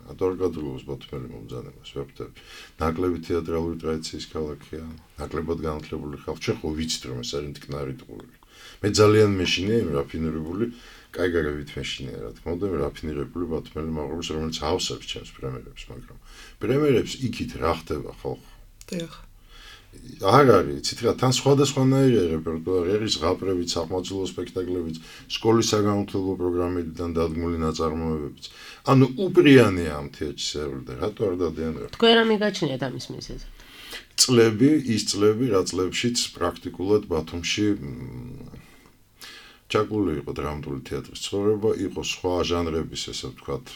S4: ადვოკატურობის ბათუმელი მომბრძანებას ვეფთებ. ნაკლები თეატრალური ტრადიციის ქალაქია, ნაკლებად განათლებული ხალხი. ჩვენ ხო ვიცით რომ ეს არის მტკნარი ტყუილი. მე ძალიან მეშინია იმ რაფინირებული, კაიგაგებით მეშინია რა თქმა უნდა, რაფინირებული ბათუმელი მაყურებელს, რომელიც ავსებს ჩემს პრემიერებს, მაგრამ პრემიერებს იქით რა ხდება ხალხო?
S3: დიახ.
S4: არ არის, იცით რა, თან სხვადასხვანაირია რეპერტუარი, არის ზღაპრებით, საყმაწვილო სპექტაკლებიც, სკოლის საგანმანათლებლო პროგრამებიდან დადგმული ნაწარმოებებიც. ანუ უპრიანია ამ თეატრში სერვილი და რატო არ დადიან რა?
S2: თქვენ რა მიგაჩნიათ ამის მიზეზად?
S4: წლები, ის წლები, რა წლებშიც პრაქტიკულად ბათუმში ჩაკული იყო დრამატული თეატრის ცხოვრება, იყო სხვა ჟანრების, ესე ვთქვათ,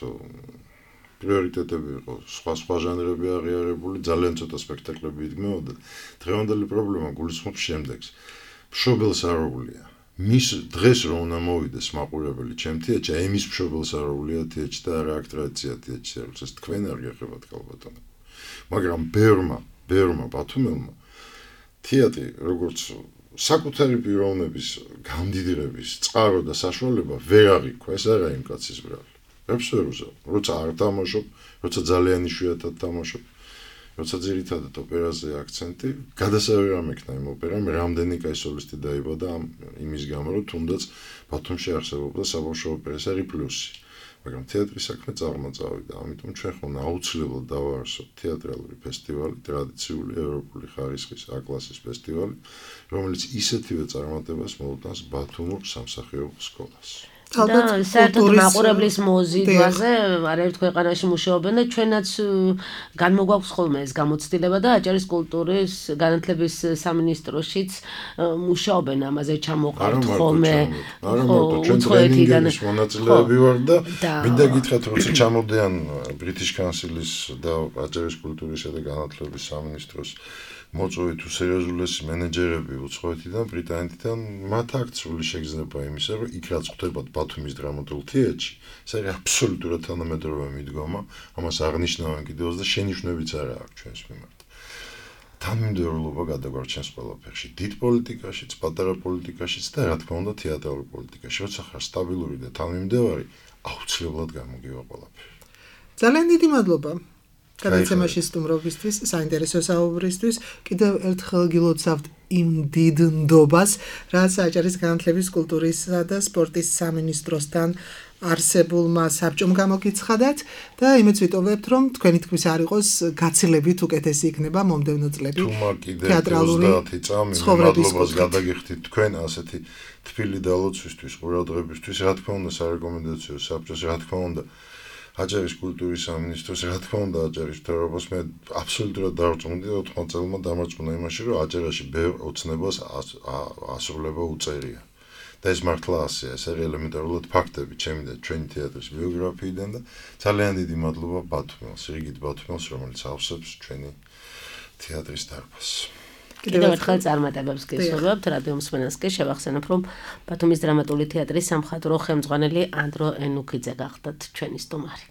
S4: პრიორიტეტები იყო, სხვა სხვა ჟანრები აღიარებული, ძალიან ცოტა სპექტაკლები იდგმებოდა. დღევანდელი პრობლემა გულისხმობს შემდეგს. მშობელს არ აუღლია. მის დღეს რომ უნდა მოვიდეს მაყურებელი ჩემ თეატრში, აი მის მშობელს არ აუღლია თეატრში და რა აქ ტრადიცია თეატრში, ეს თქვენ არ გეხებათ ქალბატონო. მაგრამ ბერმა, ბერმა ბათუმელმა თეატრი როგორც საკუთარი პიროვნების გამდიდრების წყარო და საშუალება ვერ აღიქვა, ეს არა იმ კაცის ბრალი. ვერც ვერ უზავ, როცა არ თამაშობ, როცა ძალიან იშვიათად თამაშობ, როცა ძირითადად ოპერაზე აქცენტი, გადასავალი არ მექნა იმ ოპერამ, რამდენი კაი სოლისტი დაიბადა იმის გამო, რომ თუნდაც ბათუმში არსებობდა საბავშვო ოპერის არის პლუსი. მაგრამ თეატრის საქმე წარმაწავიდა, ამიტომ ჩვენ ხომ აუცილებლად დავაარსოთ თეატრალური ფესტივალი, ტრადიციული ევროპული ხარისხის A-კლასის ფესტივალი, რომელიც ისეთივე წარმატებას მოუტანს ბათუმურ სამსახიობო სკოლას.
S2: და საერთოდ მაყურებლის მოზიდვაზე არაერთ ქვეყანაში მუშაობენ და ჩვენაც განმოგვაქვს ხოლმე ეს გამოცდილება და აჭარის კულტურის განათლების სამინისტროშიც მუშაობენ ამაზე ჩამოყართ ხოლმე.
S4: არა მარტო ჩვენ ტრენინგების მონაწილეები ვარ და მინდა გითხრათ როცა ჩამოდიან British Council-ის და აჭარის კულტურისა და განათლების სამინისტროს მოწვევით უსერიოზულესი მენეჯერები უცხოეთიდან, ბრიტანეთიდან, მათ აქვს სრული შეგრძნება იმისა, რომ იქ რაც ხდებათ ბათუმის დრამატულ თეატრში, ეს არის აბსოლუტურად თანამედროვე მიდგომა, ამას აღნიშნავენ კიდევაც და შენიშვნებიც არა აქვს ჩვენს მიმართ. თანმიმდევრულობა გადაგვარჩენს ყველაფერში, დიდ პოლიტიკაშიც, პატარა პოლიტიკაშიც და რა თქმა უნდა თეატრალურ პოლიტიკაში, როცა ხარ სტაბილური და თანმიმდევარი, აუცილებლად გამოგივა ყველაფერი.
S3: ძალიან დიდი მადლობა. გადაცემაში სტუმრობისთვის, საინტერესო საუბრისთვის, კიდევ ერთხელ გილოცავთ იმ დიდ ნდობას, რაც აჭარის განათლების, კულტურისა და სპორტის სამინისტროსთან არსებულმა საბჭომ გამოგიცხადათ და იმეც ვიტოვებთ, რომ თქვენი თქმის არ იყოს გაცილებით უკეთესი იქნება მომდევნო წლები თეატრალური
S4: ცხოვრების გადაგიხდით თქვენ ასეთი თბილი დალოცვისთვის, ყურადღებისთვის, რა თქმა უნდა სარეკომენდაციო საბჭოს, რა თქმა უნდა აჭარის კულტურის სამინისტროს, რა თქმა უნდა აჭარის მთავრობას მე აბსოლუტურად დავწუნდი ოთხმოც წელმა დამარწმუნა იმაში, რომ აჭარაში ბევრ ოცნებას ასრულება უწერია. და ეს მართლა ასეა, ეს არის ელემენტარულად ფაქტები ჩემი და ჩვენი თეატრის ბიოგრაფიიდან და ძალიან დიდი მადლობა ბათუმელს, რიგით ბათუმელს, რომელიც ავსებს ჩვენი თეატრის დარბაზს.
S2: კიდევ ერთხელ წარმატებებს გესურვებთ, რადიო მსმენელს კი შევახსენებ, რომ ბათუმის დრამატული თეატრის სამხატვრო ხელმძღვანელი ანდრო ენუქიძე გახდათ ჩვენი სტუმარი.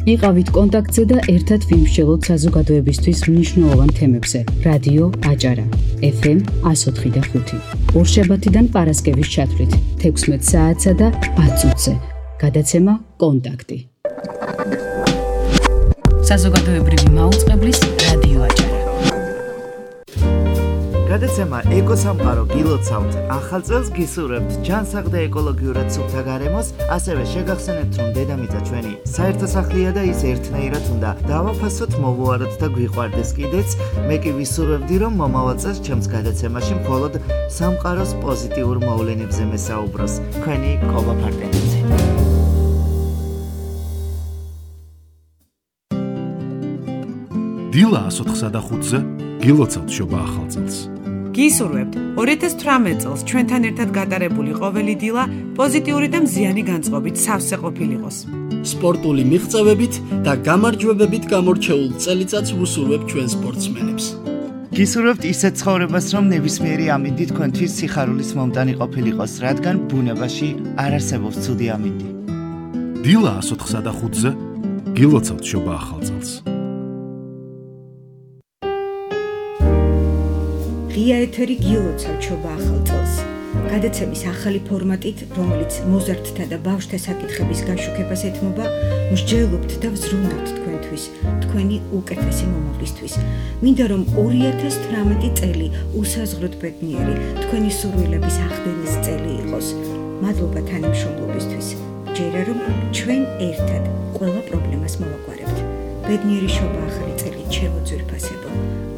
S1: იყავით კონტაქტზე და ერთად ვიმსჯელოთ საზოგადოებისთვის მნიშვნელოვან თემებზე. რადიო აჭარა, ეფ ემ εκατო ოთხი და ხუთი. ორშაბათიდან პარასკევის ჩათვლით, თექვსმეტ საათსა და ათ წუთზე. გადაცემა კონტაქტი. საზოგადოებრივი მაუწყებლის რადიო აჭარა.
S5: გადაცემა ეკოსამყარო გილოცავთ, ახალ წელს გისურვებთ ჯანსაღ და ეკოლოგიურად სუფთა გარემოს, ასევე შეგახსენებთ, რომ დედამიწა ჩვენი საერთო სახლია და ის ერთნაირად უნდა დავაფასოთ, მოვუაროთ და გვიყვარდეს კიდეც. მე კი ვისურვებდი, რომ მომავალ წელს ჩემს გადაცემაში მხოლოდ სამყაროს პოზიტიურ მოვლენებზე მესაუბროს. თქვენი კობა ფარტენიძე.
S6: დილა ას ოთხსა და ხუთზე გილოცავთ შობა ახალ წელს.
S7: გისურვებთ ორი ათას თვრამეტ წელს ჩვენთან ერთად გატარებული ყოველი დილა პოზიტიური და მზიანი განწყობით სავსე ყოფილიყოს.
S8: სპორტული მიღწევებით და გამარჯვებებით გამორჩეულ წელიწადს ვუსურვებ ჩვენ სპორტსმენებს.
S5: გისურვებთ ისეთ ცხოვრებას, რომ ნებისმიერი ამინდი თქვენთვის სიხარულის მომდანი ყოფილიყოს, რადგან ბუნებაში არ არსებობს ცუდი ამინდი.
S6: დილა ას ოთხსა და ხუთზე გილოცავთ შობა ახალ წელს.
S8: ღია ეთერი გილოცავთ შობა ახალ წელს. გადაცემის ახალი ფორმატით, რომელიც მოზარდთა და ბავშვთა საკითხების გაშუქებას ეთმობა, მსჯელობთ და ვზრუნავთ თქვენთვის, თქვენი უკეთესი მომავლისთვის. მინდა რომ ორი ათას თვრამეტი წელი უსაზღვროდ ბედნიერი, თქვენი სურვილების ახდენის წელი იყოს. მადლობა თანამშრომლობისთვის. ჯერა რომ ჩვენ ერთად ყველა პრობლემას მოვაგვარებთ. ბედნიერი შობა ახალი წელი შემოძვირფასებო.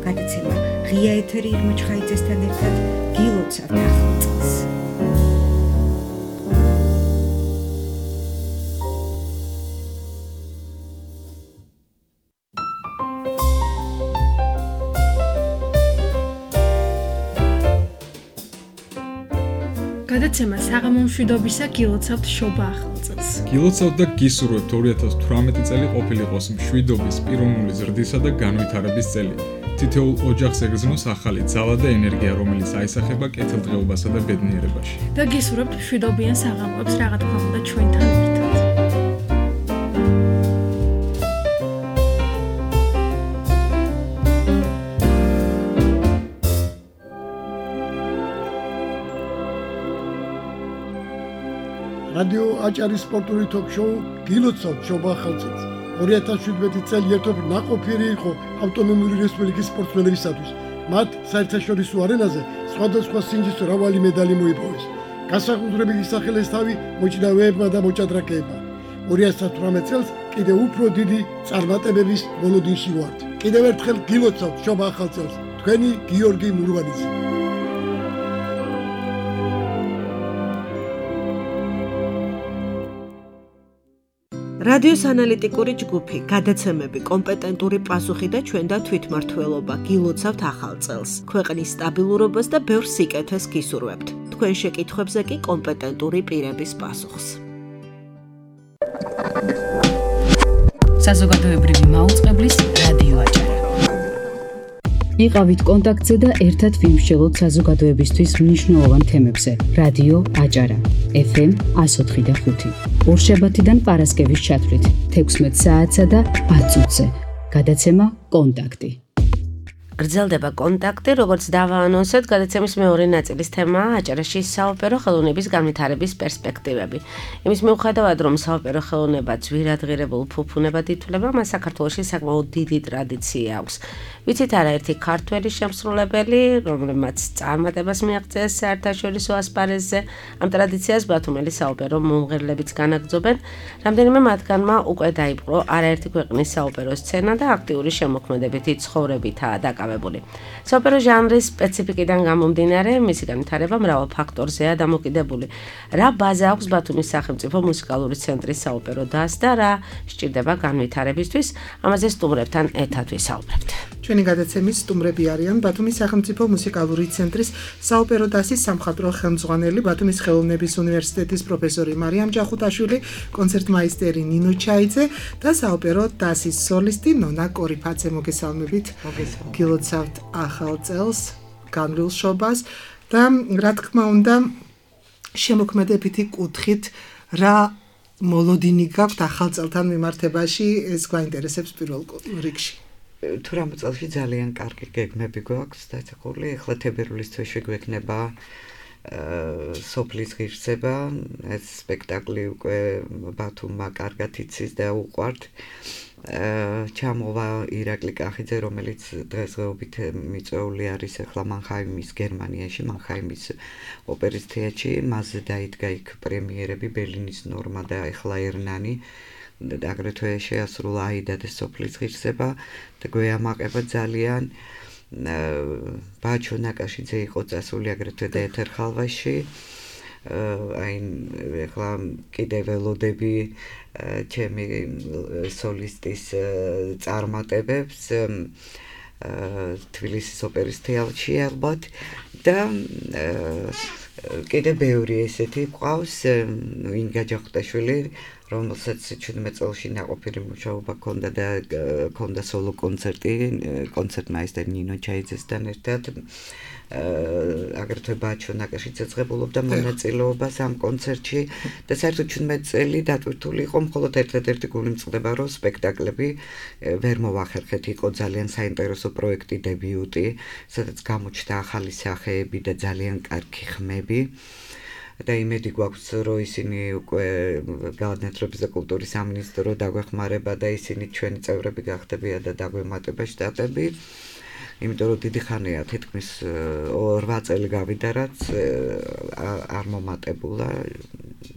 S8: გადაცემა ღია ეთერი ირმა ჩხაიძესთან ერთად გილოცავთ ახალ წელს.
S9: გადაცემა საღამო მშვიდობისა გილოცავთ შობა ახალ წელს.
S10: გილოცავთ და გისურვებთ ორი ათას თვრამეტი წელი ყოფილიყოს მშვიდობის, პიროვნული ზრდისა და განვითარების წელი. თითოეულ ოჯახს ეგრძნოს ახალი ძალა და ენერგია, რომელიც აისახება კეთილდღეობასა და ბედნიერებაში.
S9: და გისურვებთ მშვიდობიან საღამოებს, რა თქმა უნდა ჩვენთან ერთად.
S11: რადიო აჭარის სპორტული ток-შოუ გილოცავთ შობა ახალ წელს. ორი ათას შვიდმეტი წელი ერთობ ნაყოფიერი იყო ავტონომიური რესპუბლიკის სპორტსმენებისათვის. მათ საერთაშორისო არენაზე სხვადასხვა სინჯის მრავალი მედალი მოიპოვეს. გასაყუდრებით ისახელეს თავი მოჭიდავეებმა და მოჭადრაკეებმა. ორი ათას თვრამეტ წელს კიდევ უფრო დიდი წარმატებების მოლოდინში ვართ. კიდევ ერთხელ გილოცავთ შობა ახალ წელს. თქვენი გიორგი მურვანიძე.
S7: რადიოს ანალიტიკური ჯგუფი, გადაცემები, კომპეტენტური პასუხი და ჩვენ და თვითმმართველობა გილოცავთ ახალ წელს. ქვეყნის სტაბილურობას და ბევრ სიკეთეს გისურვებთ. თქვენ შეკითხვებზე კი კომპეტენტური პირების პასუხს.
S1: საზოგადოებრივი მაუწყებლის რადიო აჭარა. იყავით კონტაქტზე და ერთად ვიმსჯელოთ საზოგადოებისთვის მნიშვნელოვან თემებზე. რადიო აჭარა. ეფ ემ ას ოთხი და ხუთი. ორშაბათიდან პარასკევის ჩათვლით თექვსმეტ საათსა და ათ წუთზე. გადაცემა კონტაქტი.
S2: გრძელდება კონტაქტი, როგორც დავაანონსეთ, გადაცემის მეორე ნაწილის თემაა აჭარაში საოპერო ხელოვნების განვითარების პერსპექტივები. იმის მიუხედავად, რომ საოპერო ხელოვნება ძვირადღირებულ ფუფუნებად ითვლება, მას საქართველოში საკმაოდ დიდი ტრადიცია აქვს. ვიცით არაერთი ქართველი შემსრულებელი, რომლებმაც წარმატებას მიაღწიეს საერთაშორისო ასპარეზზე, ამ ტრადიციას ბათუმელი საოპერო მომღერლებიც განაგრძობენ. რამდენიმე მათგანმა უკვე დაიპყრო არაერთი ქვეყნის საოპერო სცენა და აქტიური შემოქმედებითი ცხოვრებითაა დაკავებული. საოპერო ჟანრის სპეციფიკიდან გამომდინარე, მისი განვითარება მრავალ ფაქტორზეა დამოკიდებული. რა ბაზა აქვს ბათუმის სახელმწიფო მუსიკალური ცენტრის საოპერო დასს და რა სჭირდება განვითარებისთვის, ამაზე სტუმრებთან ერთად ვისაუბრებთ.
S3: ჩვენი გადაცემის სტუმრები არიან ბათუმის სახელმწიფო მუსიკალური ცენტრის საოპერო დასის სამხატვრო ხელმძღვანელი, ბათუმის ხელოვნების უნივერსიტეტის პროფესორი მარიამ ჯახუთაშვილი, კონცერტმაისტერი ნინო ჩაიძე და საოპერო დასის სოლისტი ნონა კორიფაძე. მოგესალმებით. გილოცავთ ახალ წელს, განვლილ შობას და რა თქმა უნდა შემოქმედებითი კუთხით რა მოლოდინი გაქვთ ახალ წელთან მიმართებაში, ეს გვაინტერესებს პირველ რიგში.
S12: თუ რამ წელში ძალიან კარგი გეგმები გვაქვს დაწესებული, ახლა თებერვლის თვეში გვექნება სოფლის ღირსება, ეს სპექტაკლი უკვე ბათუმმა კარგად იცის და უყვართ. ჩამოვა ირაკლი კახიძე, რომელიც დღესდღეობით მიწვეული არის ახლა მანჰაიმის გერმანიაში, მანჰაიმის ოპერის თეატრში, მასზე დაიდგა იქ პრემიერები, ბერლინის ნორმა და ახლა ერნანი. აგრეთვე შეასრულა აიდა და სოფლის ღირსება და გვეამაყება ძალიან. ბაჩო ნაკაშიძე იყო წასული აგრეთვე და ეთერ ხალვაში. აი ახლა კიდევ ველოდები ჩემი სოლისტის წარმატებებს თბილისის ოპერის თეატრში ალბათ და კიდე ბევრი ესეთი ყავს, ინგა ჯახტაშვილი, რომელსაც ჩვიდმეტ წელში ნაყოფიერი მუშაობა ჰქონდა და ჰქონდა სოლო კონცერტი, კონცერტმაისტერ ნინო ჩაიძესთან ერთად. აგრეთვე ბაჩო ნაკაშიც ეძღებულობდა მონაწილეობას ამ კონცერტში და საერთოდ ჩვიდმეტ წელი დატვირთული იყო მხოლოდ ერთ-ერთი გული მწყდება, რომ სპექტაკლები ვერ მოვახერხეთ, იყო ძალიან საინტერესო პროექტი, დებიუტი, სადაც გამოჩნდა ახალი სახეები და ძალიან კარგი ხმები. და იმედი გვაქვს, რომ ისინი უკვე განათლების და კულტურის სამინისტრო დაგვეხმარება და ისინი ჩვენი წევრები გახდებიან და დაგვემატება შტატები. იმიტომ რომ დიდი ხანია, თითქმის ორ წელი გავიდა, რაც არ მომატებულა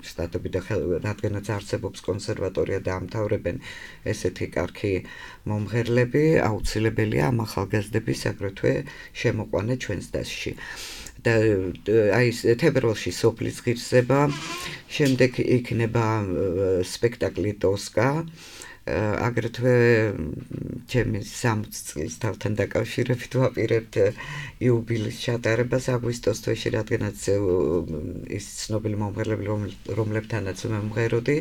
S12: შტატები და რადგანაც არსებობს კონსერვატორია და ამთავრებენ ესეთი კარგი მომღერლები, აუცილებელია ამ ახალგაზრდების აგრეთვე შემოყვანა ჩვენს დასში. და აი თებერვალში სოფლის ღირსება, შემდეგ იქნება სპექტაკლი ტოსკა, აგრეთვე ჩემი სამოცი წლის თავთან დაკავშირებით ვაპირებთ იუბილეის ჩატარებას აგვისტოს თვეში, რადგანაც ის ცნობილი მომღერლები, რომლებთანაც მომღეროდი,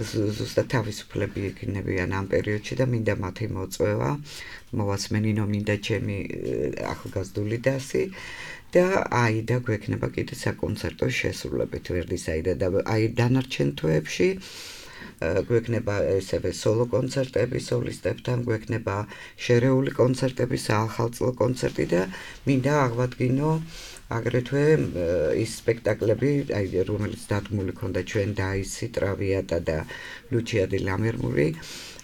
S12: ზუსტად თავისუფლები იქნებიან ამ პერიოდში და მინდა მათი მოწვევა, მოვასმენინო მინდა ჩემი ახალგაზრდული დასი. და აიდა გვექნება კიდე საკონცერტო შესრულებით ვერდის აიდა და აი დანარჩენ თვეებში გვექნება ესევე სოლო კონცერტები სოლისტებთან, გვექნება შერეული კონცერტები, საახალწლო კონცერტი და მინდა აღვადგინო აგრეთვე ის სპექტაკლები, აი რომელიც დადგმული ქონდა ჩვენ დაისი, ტრავიატა და ლუჩია დი ლამერმური,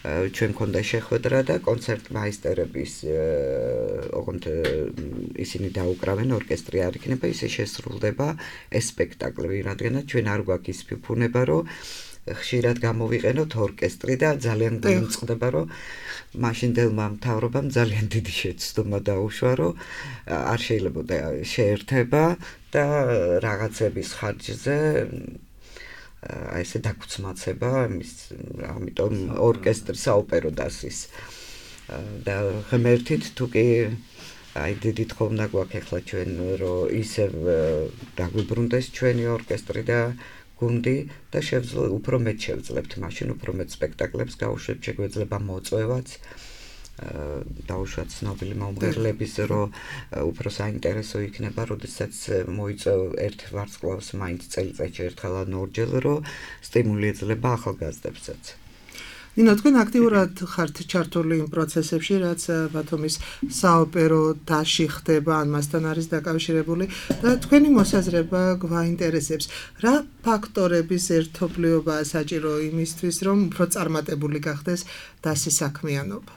S12: ჩვენ ქონდა შეხვედრა და კონცერტმაისტერების ოღონდ ისინი დაუკრავენ, ორკესტრი არ იქნება, ისე შესრულდება ეს სპექტაკლები, რადგანაც ჩვენ არ გვაქვს ის ფუფუნება, რომ ხშირად გამოვიყენოთ ორკესტრი და ძალიან გვიმწყდება, რომ მაშინდელმა მთავრობამ ძალიან დიდი შეცდომა დაუშვა, რომ არ შეიძლებოდა შეერთება და რაღაცების ხარჯზე აი ესე დაგუცმაცება, ამიტომ ორკესტრი საოპერო დასის და ღმერთით თუ კი აი დიდი თხოვნა გვაქვს ახლა ჩვენ, რომ ისევ დაგვიბრუნდეს ჩვენი ორკესტრი და გუნდი და შევძლებ უფრო მეტ შევძლებთ, მაშინ უფრო მეტ სპექტაკლებს გავუშვებთ, შეგვეძლება მოწვევაც დაუშვათ ცნობილი მომღერლების, რომ უფრო საინტერესო იქნება, როდესაც მოიწევ ერთ ვარსკვლავს მაინც წელიწადში ერთხელ ან ორჯერ, რომ სტიმული ეძლება ახალგაზრდებსაც.
S3: ნინო, თქვენ აქტიურად ხართ ჩართული იმ პროცესებში, რაც ბათუმის საოპერო დასში ხდება, ან მასთან არის დაკავშირებული და თქვენი მოსაზრება გვაინტერესებს. რა ფაქტორების ერთობლიობაა საჭირო იმისთვის, რომ უფრო წარმატებული გახდეს დასის საქმიანობა?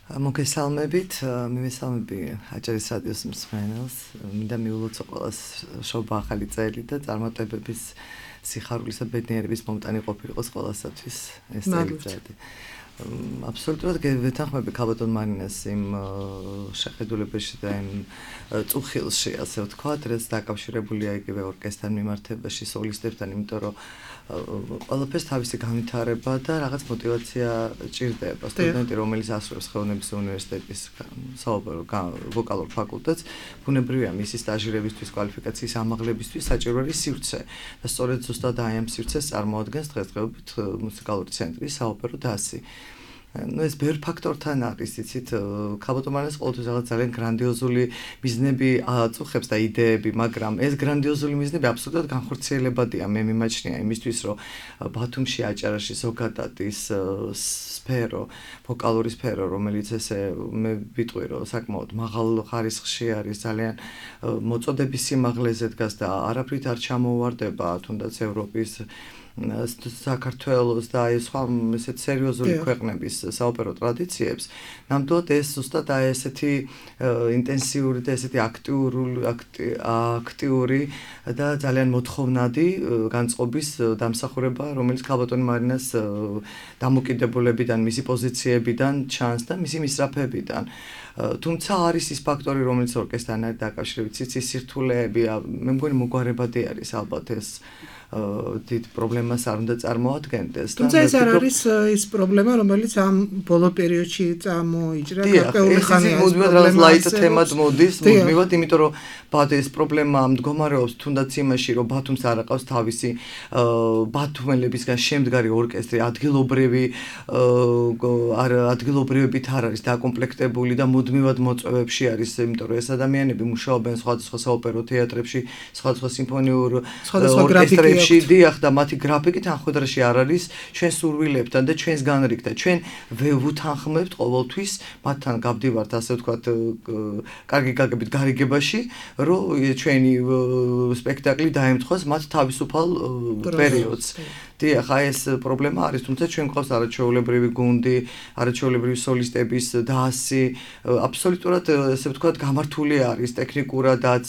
S13: მოგესალმებით, მივესალმები აჭარის რადიოს მსმენელს, მინდა მიულოცო ყველას შობა ახალი წელი და წარმატებების სიხარულის და ბედნიერების მომტანი ყოფილიყოს ყველასათვის ეს წელიწადი. აბსოლუტურად ვეთანხმები ქალბატონ მარინას იმ შეხედულებაში და იმ წუხილში, ასე ვთქვათ, რაც დაკავშირებულია იგივე ორკესტრთან მიმართებაში, სოლისტებთან, იმიტომ რომ ყველაფერს თავისი განვითარება და რაღაც мотиваცია ჭირდება. სტუდენტი, რომელიც ასრულებს ხელოვნების უნივერსიტეტის საოპერო ვოკალურ ფაკულტეტს, ბუნებრივია მისი სტაჟირებისთვის, კვალიფიკაციის ამაღლებისთვის საჭირო არის სივრცე. და სწორედ ზუსტად აი ამ სივრცეს წარმოადგენს დღესდღეობით მუსიკალური ცენტრი, საოპერო დასი. ну ეს ბევრ ფაქტორთან არის, იცით, ქალბატონ მარინას ყოველთვის რაღაც ძალიან გრანდიოზული მიზნები აწუხებს და იდეები, მაგრამ ეს გრანდიოზული მიზნები აბსოლუტურად განხორციელებადია, მე მიმაჩნია იმისთვის, რომ ბათუმში აჭარაში ზოგადად ის სფერო, ვოკალური სფერო, რომელიც ესე მე ვიტყვი, რომ საკმაოდ მაღალ ხარისხში არის, ძალიან მოწოდების სიმაღლეზე დგას და არაფრით არ ჩამოუვარდება თუნდაც ევროპის საქართველოს და აი სხვა ესეთ სერიოზული ქვეყნების საოპერო ტრადიციებს, ნამდვილად ეს ზუსტად აი ესეთი ინტენსიური და ესეთი აქტიური აქტიური და ძალიან მოთხოვნადი განწყობის დამსახურება, რომელიც ქალბატონ მარინას დამოკიდებულებიდან, მისი პოზიციებიდან ჩანს და მისი მისწრაფებიდან. თუმცა არის ის ფაქტორი, რომელიც ორკესტრთან არის დაკავშირებით, ის სირთულეები, მე მგონი მოგვარებადი არის ალბათ ეს დიდ პრობლემას არ უნდა წარმოადგენდეს.
S3: თუმცა ეს არ არის ის პრობლემა, რომელიც ამ ბოლო პერიოდში წამოიჭრა გარკვეული ხანი არის.
S13: მუდმივად რაღაც ლაით თემად მოდის, მუდმივად, იმიტომ რომ ბათ ეს პრობლემა მდგომარეობს თუნდაც იმაში, რომ ბათუმს არ აყავს თავისი ბათუმელებისგან შემდგარი ორკესტრი, ადგილობრივი არ ადგილობრივებით არ არის დაკომპლექტებული და მუდმივად მოწვევებში არის, იმიტომ რომ ეს ადამიანები მუშაობენ სხვადასხვა საოპერო თეატრებში, სხვადასხვა სიმფონიურ ორკესტრებში დიახ და მათი გრაფიკი თანხმდროში არ არის ჩვენ სურვილებთან და ჩვენს განრიგთან. ჩვენ ვუთანხმებთ ყოველთვის მათთან გავდივართ ასე ვთქვათ კარგი გაგებით გარიგებაში, რომ ჩვენი სპექტაკლი დაემთხოს მათ თავისუფალ პერიოდს. დიახ, აი ეს პრობლემა არის, თუმცა ჩვენ გვყავს არაჩვეულებრივი გუნდი, არაჩვეულებრივი სოლისტების დასი, აბსოლუტურად ასე ვთქვათ გამართული არის ტექნიკურადაც,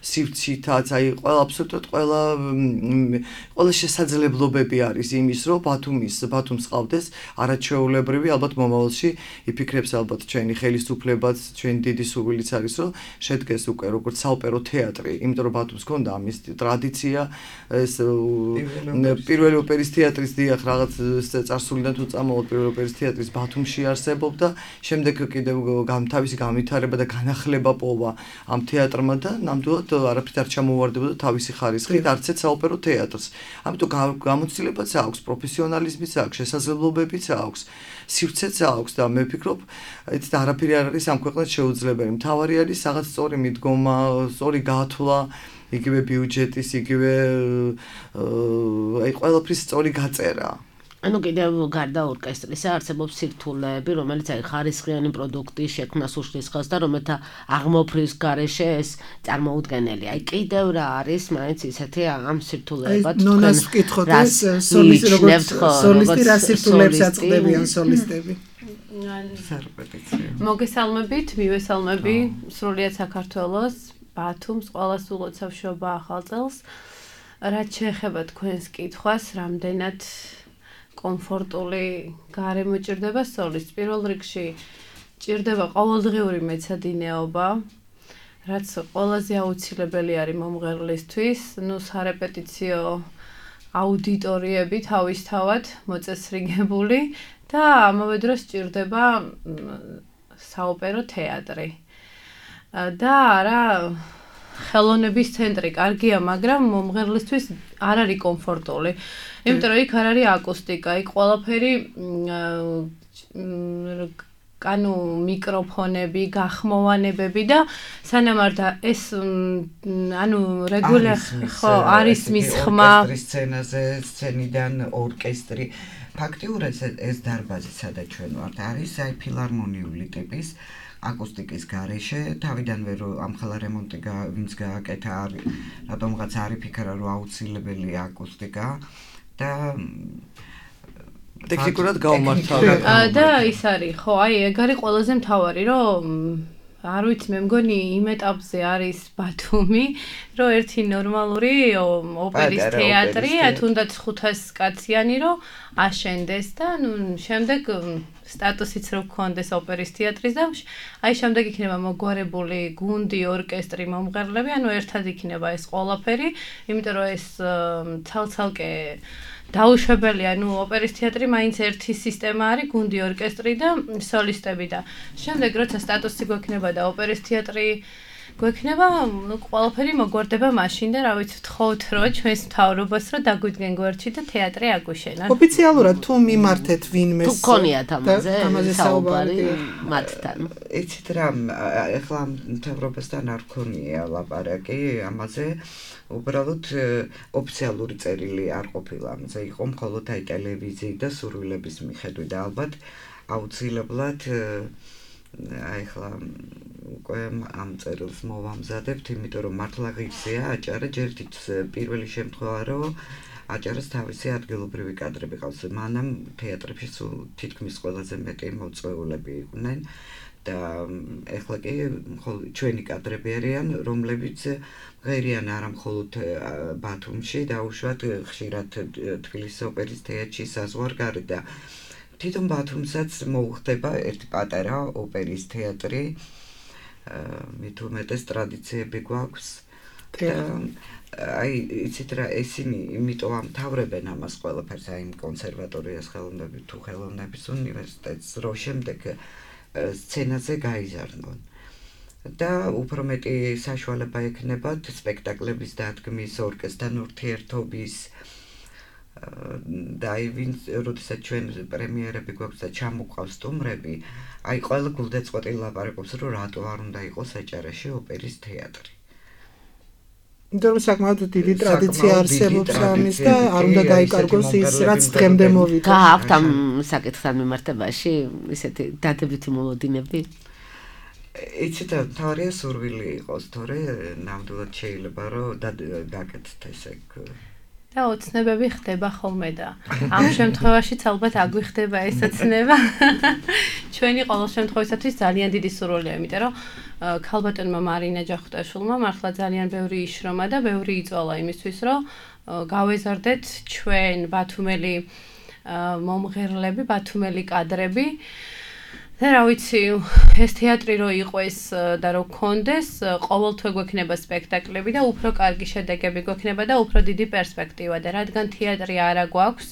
S13: სივრცითაც, აი ყველა აბსოლუტურად ყველა ყველა შესაძლებლობები არის იმის, რომ ბათუმის ბათუმს ყავდეს არაჩვეულებრივი, ალბათ მომავალში იფიქრებს ალბათ ჩვენი ხელისუფლებაც, ჩვენი დიდი სურვილიც არის, რომ შედგეს უკვე როგორც საოპერო თეატრი, იმიტომ რომ ბათუმს ჰქონდა ამის ტრადიცია, ეს პირველი ოპერის თეატრის დიახ რაღაც წარსულიდან თუ წამოვიდ პირველი ოპერის თეატრის ბათუმში არსებობდა, შემდეგ კიდევ თავისი განვითარება და განახლება პოვა ამ თეატრმა და ნამდვილად არაფრით არ ჩამოვარდებოდა თავისი ხარისხით არც ერთ საოპერო თეატრს. ამიტომ გამოცდილებაც აქვს, პროფესიონალიზმიც აქვს, შესაძლებლობებიც აქვს, სივრცეც აქვს და მე ვფიქრობ, ეს არაფერი არ არის ამ ქვეყნად შეუძლებელი. მთავარი არის რაღაც სწორი მიდგომა, სწორი გათვლა, იგივე ბიუჯეტის, იგივე აი ყველაფრის სწორი გაწერა.
S2: ანუ კიდევ გარდა ორკესტრისა არსებობს სირთულეები, რომელიც აი ხარისხიანი პროდუქტის შექმნას უშლის ხელს და რომელთა აღმოფხრის გარეშე ეს წარმოუდგენელი. აი კიდევ რა არის მაინც ისეთი ამ სირთულეებად
S3: თქვენ ნონას ვკითხოთ ეს სოლისტი როგორც სოლისტი რა სირთულეებს აწყდებიან სოლისტები.
S9: მოგესალმებით, მივესალმები სრულიად საქართველოს, ბათუმს, ყველას ულოცავ შობა ახალ წელს. რაც შეეხება თქვენს კითხვას, რამდენად კომფორტული გარემო ჭირდება სოლისტს. პირველ რიგში ჭირდება ყოველდღიური მეცადინეობა, რაც ყველაზე აუცილებელი არის მომღერლისთვის. ნუ სარეპეტიციო აუდიტორიები თავისთავად მოწესრიგებული და ამავე დროს ჭირდება საოპერო თეატრი. და არა ხელოვნების ცენტრი კარგია, მაგრამ მომღერლისთვის არ არის კომფორტული. იმიტომ რომ იქ არ არის აკუსტიკა, იქ ყველაფერი ანუ მიკროფონები, გახმოვანებები და სანამ არ და ეს ანუ რეგულარ ხო არის მის ხმა
S12: ორკესტრის სცენაზე, სცენიდან ორკესტრი. ფაქტიურად ეს დარბაზი, სადაც ჩვენ ვართ, არის აი ფილარმონიული ტიპის აკუსტიკის გარეშე, თავიდანვე რომ ამხელა რემონტი ვინც გააკეთა, არის რატომღაც არ იფიქრა რომ აუცილებელი აკუსტიკა და
S13: ტექნიკურად გაუმართა.
S9: და ის არის, ხო, აი ეგ არის ყველაზე მთავარი, რომ არ ვიცი, მე მგონი იმ ეტაპზე არის ბათუმი, რომ ერთი ნორმალური ოპერის თეატრი, თუნდაც ხუთას კაციანი რომ აშენდეს და ნუ შემდეგ სტატუსიც რო გქონდეს ოპერის თეატრის და აი შემდეგ იქნება მოგვარებული გუნდი, ორკესტრი, მომღერლები, ანუ ერთად იქნება ეს ყველაფერი, იმიტომ რომ ეს ცალ-ცალკე დაუშვებელია, ნუ ოპერის თეატრი მაინც ერთი სისტემა არის, გუნდი, ორკესტრი და სოლისტები და შემდეგ როცა სტატუსი გვექნება და ოპერის თეატრი გვექნება, ნუ ყველაფერი მოგვარდება მაშინ და რა ვიცი, ვთხოვთ რომ ჩვენს მთავრობას რომ დაგვიდგენ გვერდში და თეატრი აგვიშენონ.
S3: ოფიციალურად თუ მიმართეთ ვინმეს
S2: თუ გქონიათ ამაზე საუბარი მათთან.
S12: იცით რა, ეხლა მთავრობასთან არ გქონია ლაპარაკი ამაზე. უბრალოდ ოფიციალური წერილი არ ყოფილა ამაზე, იყო მხოლოდ აი ტელევიზიით და სურვილების მიხედვით და ალბათ აუცილებლად აი ხლა უკვე ამ წერილს მოვამზადებთ, იმიტომ რომ მართლა ღირსია აჭარა, ჯერთით პირველი შემთხვევა რომ აჭარას თავისი ადგილობრივი კადრები ყავს. მანამ თეატრებში თითქმის ყველაზე მეტი მოწვეულები იყვნენ და ეხლა კი ჩვენი კადრები არიან, რომლებიც ღერიან არა მხოლოდ ბათუმში, დაუშვათ ხშირად თბილისის ოპერის თეატრში საზღვარგარეთ და თვითონ ბათუმსაც მოუხდება ერთი პატარა ოპერის თეატრი, მით უმეტეს ტრადიციები გვაქვს. აი, იცით რა, ესენი იმიტომ ამთავრებენ ამას ყველაფერს, აი, კონსერვატორიას ხელოვნების თუ ხელოვნების უნივერსიტეტს, რომ შემდეგ სცენაზე გაიზარდონ. და უფრო მეტი საშუალება ექნებათ სპექტაკლების დადგმის, ორკესტრთან ურთიერთობის და აი, ვინც როდესაც ჩვენ პრემიერები გვაქვს და ჩამოყავს სტუმრები, აი, ყველა გულდაწყვეტილ ლაპარაკობს, რომ რატო არ უნდა იყოს აჭარაში ოპერის თეატრი.
S3: იმიტომ რომ საკმაოდ დიდი ტრადიცია არსებობს ამის და არ უნდა დაიკარგოს ის, რაც დღემდე მოვიდა.
S2: გააქვთ ამ საკითხთან მიმართებაში ისეთი დადებითი მოლოდინები?
S12: იცით, თავარია სურვილი იყოს, თორე ნამდვილად შეიძლება რომ გაკეთდეთ ესე.
S9: და ოცნებები ხდება ხოლმე და ამ შემთხვევაშიც ალბათ აგვიხდება ეს ოცნება. ჩვენი ყოველ შემთხვევისათვის ძალიან დიდი სურვილია, იმიტომ რომ ქალბატონმა მარინა ჯახუტაშვილმა მართლა ძალიან ბევრი იშრომა და ბევრი იწვალა იმისთვის, რომ გავეზარდეთ ჩვენ ბათუმელი მომღერლები, ბათუმელი კადრები. და რა ვიცი, ეს თეატრი რო იყოს და რო გქონდეს, ყოველთვე გვექნება სპექტაკლები და უფრო კარგი შედეგები გვექნება და უფრო დიდი პერსპექტივა და რადგან თეატრი არა გვაქვს,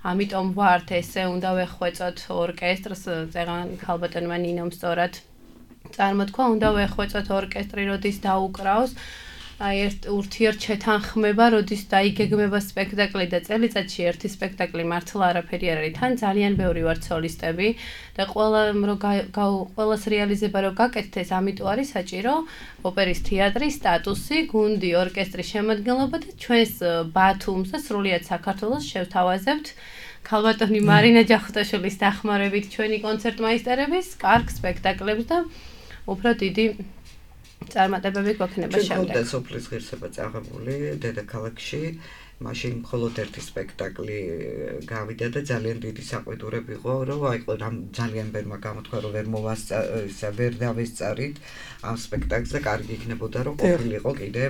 S9: ამიტომ ვართ ესე უნდა ვეხვეწოთ ორკესტრს, წეღან ქალბატონმა ნინომ სწორად წარმოთქვა, უნდა ვეხვეწოთ ორკესტრი, როდის დაუკრავს. აი, ერთ ურთიერთ შეთანხმება, როდის დაიგეგმება სპექტაკლი და წელიწადში ერთი სპექტაკლი მართლა არაფერი არ არის. თან ძალიან ბევრი ვართ სოლისტები და ყველა რომ ყველას რეალიზება რომ გაკეთდეს, ამიტომ არის საჭირო ოპერის თეატრის სტატუსი, გუნდი, ორკესტრის შემადგენლობა და ჩვენს ბათუმს და სრულიად საქართველოს შევთავაზებთ ქალბატონი მარინა ჯახუტაშვილის დახმარებით ჩვენი კონცერტმაისტერების კარგ სპექტაკლებს და უფრო დიდი წარმატებები გვექნება შემდეგ.
S12: ჩვენ სოფლის ღირსება წაღებული დედაქალაქში, მაშინ მხოლოდ ერთი სპექტაკლი გავიდა და ძალიან დიდი საყვედურები იყო, რომ აი რამ ძალიან ბევრმა გამოთქვა, რომ ვერ მოვასწა, ვერ დავესწარით ამ სპექტაკლზე, კარგი იქნებოდა, რომ ყოფილიყო კიდე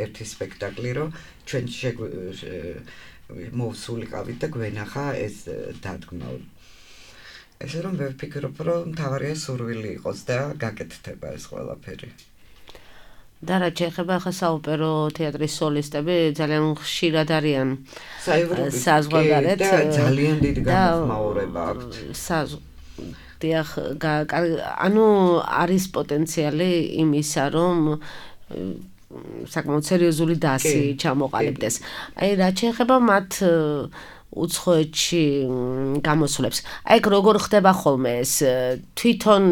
S12: ერთი სპექტაკლი, რომ ჩვენ მოვსულიყავით და გვენახა ეს დადგმა. ესე რომ ვერ ვფიქრობ, რომ მთავარია სურვილი იყოს და გაკეთდება ეს ყველაფერი.
S2: და რა შეეხება ახლა საოპერო თეატრის სოლისტები ძალიან ხშირად არიან საზღვარგარეთ
S12: და ძალიან დიდი გამოხმაურება აქვთ.
S2: დიახ, ანუ არის პოტენციალი იმისა, რომ საკმაოდ სერიოზული დასი ჩამოყალიბდეს. აი, რა შეეხება მათ უცხოეთში გამოსვლებს. აი, როგორ ხდება ხოლმე ეს? თვითონ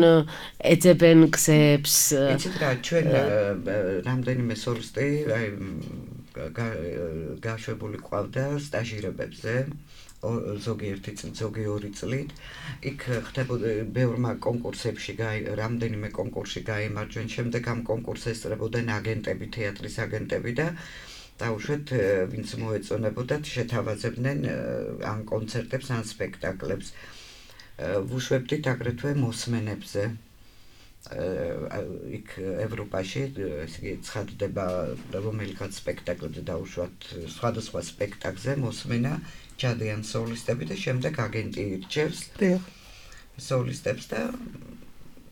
S2: ეძებენ გზებს?
S12: იცით რა, ჩვენ რამდენიმე სოლისტი აი გაშვებული ყავდა სტაჟირებებზე. ზოგიერთი ზოგი ორი წლით იქ ხდებოდა ბევრმა კონკურსებში რამდენიმე კონკურსში გაიმარჯვენ, შემდეგ ამ კონკურსს ესწრებოდნენ აგენტები, თეატრის აგენტები და დაუშვათ ვინც მოეწონებოდათ შეთავაზებდნენ ან კონცერტებს ან სპექტაკლებს. ვუშვებდით აგრეთვე მოსმენებზე. იქ ევროპაში ესე იგი ცხადდება რომელიღაც სპექტაკლებზე დაუშვათ სხვადასხვა სპექტაკლზე მოსმენა ჯადიან სოლისტები და შემდეგ აგენტი ირჩევს სოლისტებს და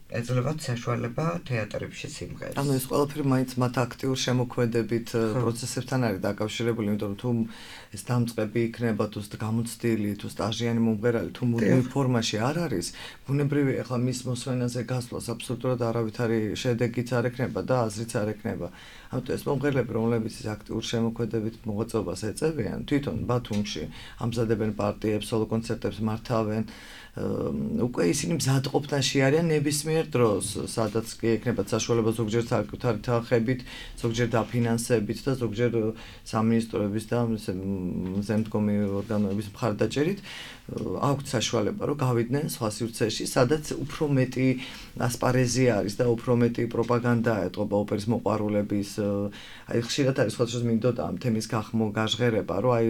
S12: ეძლევათ საშუალება თეატრებში სიმღერას.
S13: ანუ ეს ყველაფერი მაინც მათ აქტიურ შემოქმედებით პროცესებთან არის დაკავშირებული, იმიტომ რომ თუ ეს დამწყები იქნება, თუ გამოცდილი, თუ სტაჟიანი მომღერალი, თუ მუდმივ ფორმაში არ არის, ბუნებრივი ახლა მის მოსვენაზე გასვლას აბსოლუტურად არავითარი შედეგიც არ ექნება და აზრიც არ ექნება. ამიტომ ეს მომღერლები, რომლებიც ის აქტიურ შემოქმედებით მოღვაწეობას ეწევიან, თვითონ ბათუმში ამზადებენ პარტიებს, სოლო კონცერტებს მართავენ. უკვე ისინი მზადყოფნაში არიან ნებისმიერ დროს, სადაც კი ექნებათ საშუალება ზოგჯერ საკუთარი თანხებით, ზოგჯერ დაფინანსებით და ზოგჯერ სამინისტროების და მზემდგომი ორგანოების მხარდაჭერით აქვთ საშუალება, რომ გავიდნენ სხვა სივრცეში, სადაც უფრო მეტი ასპარეზი არის და უფრო მეტი პროპაგანდა ეტყობა ოპერის მოყვარულების. აი ხშირად არის სხვადასხვა მინდოდა ამ თემის გახმო გაჟღერება, რომ აი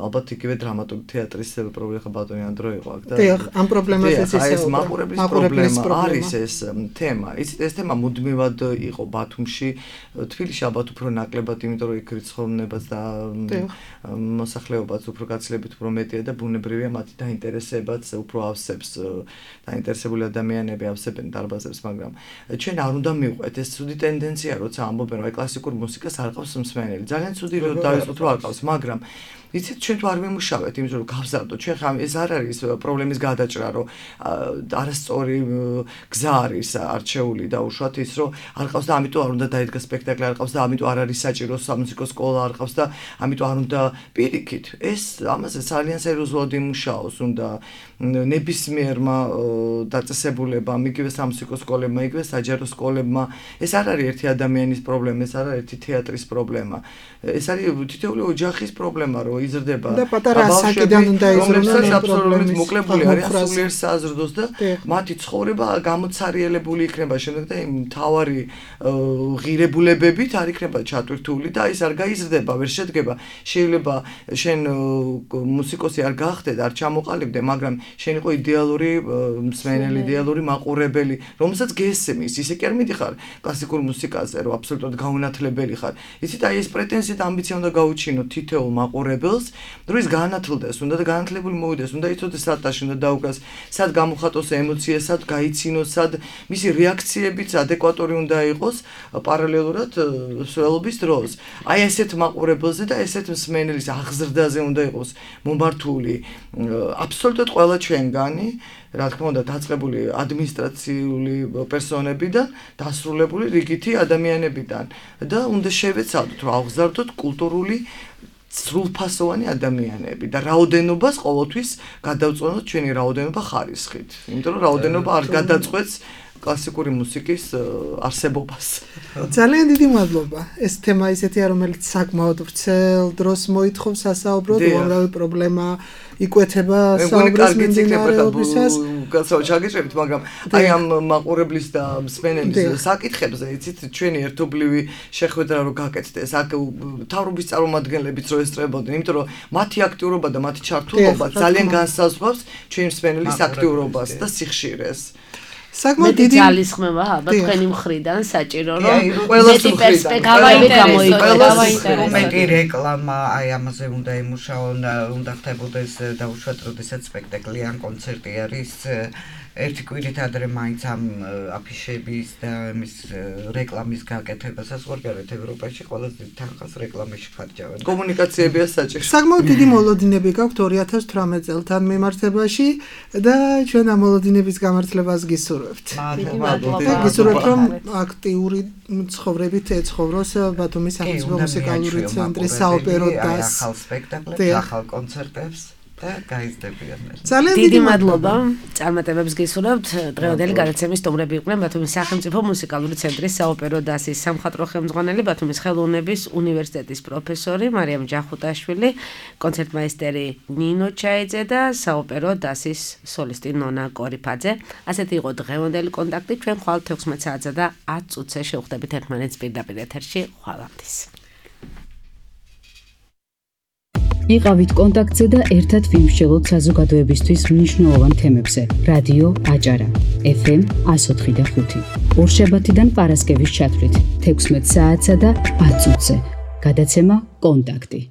S13: ალბათ იგივე დრამატული თეატრის პრობლემა ბატონი ანდრო იყო აქ და
S3: დიახ, ამ პრობლემაზეც ისე
S13: ეს მაყურებლის პრობლემა არის ეს თემა. იცით, ეს თემა მუდმივად იყო ბათუმში, თბილისში ალბათ უფრო ნაკლებად, იმიტომ რომ იქ რიცხოვნებაც და მოსახლეობაც უფრო გაცილებით უფრო მეტია და ბუნებრივია მათი დაინტერესებაც უფრო ავსებს, დაინტერესებული ადამიანები ავსებენ დარბაზებს, მაგრამ ჩვენ არ უნდა მივყვეთ ეს ცუდი ტენდენცია, როცა ამბობენ, რომ კლასიკურ მუსიკას არ ყავს მსმენელი. ძალიან ცუდი რომ დავიწყოთ რომ არ ყავს, მაგრამ იცით, ჩვენ თუ არ ვიმუშავეთ, იმიტომ რომ გავზარდოთ, ჩვენ ხა ეს არ არის პრობლემის გადაჭრა, რომ არასწორი გზა არის არჩეული და უშუალოდ ის, რომ არ ყავს და ამიტომ არ უნდა დაიდგა სპექტაკლი, არ ყავს და ამიტომ არ არის საჭირო სამუსიკო სკოლა, არ ყავს და ამიტომ არ უნდა პირიქით. ეს ამაზე ძალიან სერიოზულად იმუშაოს, უნდა ნებისმიერმა დაწესებულებამ, იგივე სამუსიკო სკოლებმა, იგივე საჯარო სკოლებმა. ეს არ არის ერთი ადამიანის პრობლემა, ეს არ არის ერთი თეატრის პრობლემა. ეს არის თითოეული ოჯახის პრობლემა, რომ იზრდება
S3: და პატარა ასაკიდან უნდა იზრდონ
S13: აბსოლუტურად მოკლებული არის სულიერ საზრდოს და მათი ცხოვრება გამოცარიელებული იქნება შემდეგ და იმ თავარი ღირებულებებით არ იქნება ჩატვირთული და ის არ გაიზრდება, ვერ შედგება. შეიძლება შენ მუსიკოსი არ გახდე და არ ჩამოყალიბდე, მაგრამ შენ იყო იდეალური მსმენელი, იდეალური მაყურებელი, რომელსაც გესმის, ისე კი არ მიდიხარ კლასიკურ მუსიკაზე, რომ აბსოლუტურად გაუნათლებელი ხარ. იცით, აი ეს პრეტენზია და ამბიცია უნდა გაუჩინოთ თითოეულ მაყურებელს, რომ ის განათლდეს, უნდა და განათლებული მოვიდეს, უნდა იცოდეს სად ტაში უნდა დაუკრას, სად გამოხატოს ემოცია, სად გაიცინოს, სად მისი რეაქციებიც ადეკვატური უნდა იყოს პარალელურად სველობის დროს. აი ესეთ მაყურებელზე და ესეთ მსმენელის აღზრდაზე უნდა იყოს მომართული აბსოლუტურად ყველა ჩვენგანი, რა თქმა უნდა, დაწყებული ადმინისტრაციული პერსონებიდან, დასრულებული რიგითი ადამიანებიდან და უნდა შევეცადოთ, რომ აღზარდოთ კულტურული სრულფასოვანი ადამიანები და რაოდენობას ყოველთვის გადავწყვეტოთ ჩვენი რაოდენობა ხარისხით. იმიტომ რომ რაოდენობა არ გადაწყვეტს კლასიკური მუსიკის არსებობას.
S3: ძალიან დიდი მადლობა. ეს თემა ისეთია, რომელიც საკმაოდ ვრცელ დროს მოითხოვს სასაუბროდ, უამრავი პრობლემა იკვეთება საუბრის მიმდინარეობისას.
S13: გასაუბრეთ ჩაგიჭრებით, მაგრამ აი ამ მაყურებლის და მსმენელის საკითხებზე, იცით, ჩვენი ერთობლივი შეხვედრა რო გაკეთდეს, აქ მთავრობის წარმომადგენლებიც რო ესწრებოდნენ, იმიტომ რომ მათი აქტიურობა და მათი ჩართულობა ძალიან განსაზღვრავს ჩვენი მსმენელის აქტიურობას და სიხშირეს.
S2: საკმაოდ დიდი ძალისხმევა ალბათ თქვენი მხრიდან საჭირო რომ მეტი პერსპექტივა გამოიყენოს.
S12: მეტი რეკლამა აი ამაზე უნდა იმუშაონ, უნდა ხდებოდეს დაუშვათ, როდესაც სპექტაკლი ან კონცერტი არის. ერთი კვირით ადრე მაინც ამ აფიშების და მის რეკლამის გაკეთებას ვარგარეთ ევროპაში ყველაზე დიდ თანხას რეკლამაში ხარჯავენ.
S13: კომუნიკაციებია საჭირო.
S3: საკმაოდ დიდი მოლოდინები გაქვთ ორი ათას თვრამეტ წელთან მიმართებაში და ჩვენ ამ მოლოდინების გამართლებას გისურვებთ. გისურვებთ, რომ აქტიური ცხოვრებით ეცხოვროს ბათუმის სახელმწიფო მუსიკალური ცენტრის საოპერო დასს.
S12: ახალ სპექტაკლებს, ახალ კონცერტებს.
S2: დიდი მადლობა. წარმატებებს გისურვებთ. დღევანდელი გადაცემის სტუმრები იყვნენ ბათუმის სახელმწიფო მუსიკალური ცენტრის საოპერო დასის სამხატვრო ხელმძღვანელი, ბათუმის ხელოვნების უნივერსიტეტის პროფესორი მარიამ ჯახუტაშვილი, კონცერტმაისტერი ნინო ჩაიძე და საოპერო დასის სოლისტი ნონა კორიფაძე. ასეთი იყო დღევანდელი კონტაქტი. ჩვენ ხვალ თექვსმეტ საათსა და ათ წუთზე შევხვდებით ერთმანეთს პირდაპირ ეთერში. ხვალამდის.
S1: იყავით კონტაქტზე და ერთად ვიმსჯელოთ საზოგადოებისთვის მნიშვნელოვან თემებზე. რადიო აჭარა ეფ ემ εκατო ოთხი და ხუთი. ორშაბათიდან პარასკევის ჩათვლით თექვსმეტ საათსა და ათ წუთზე. გადაცემა კონტაქტი.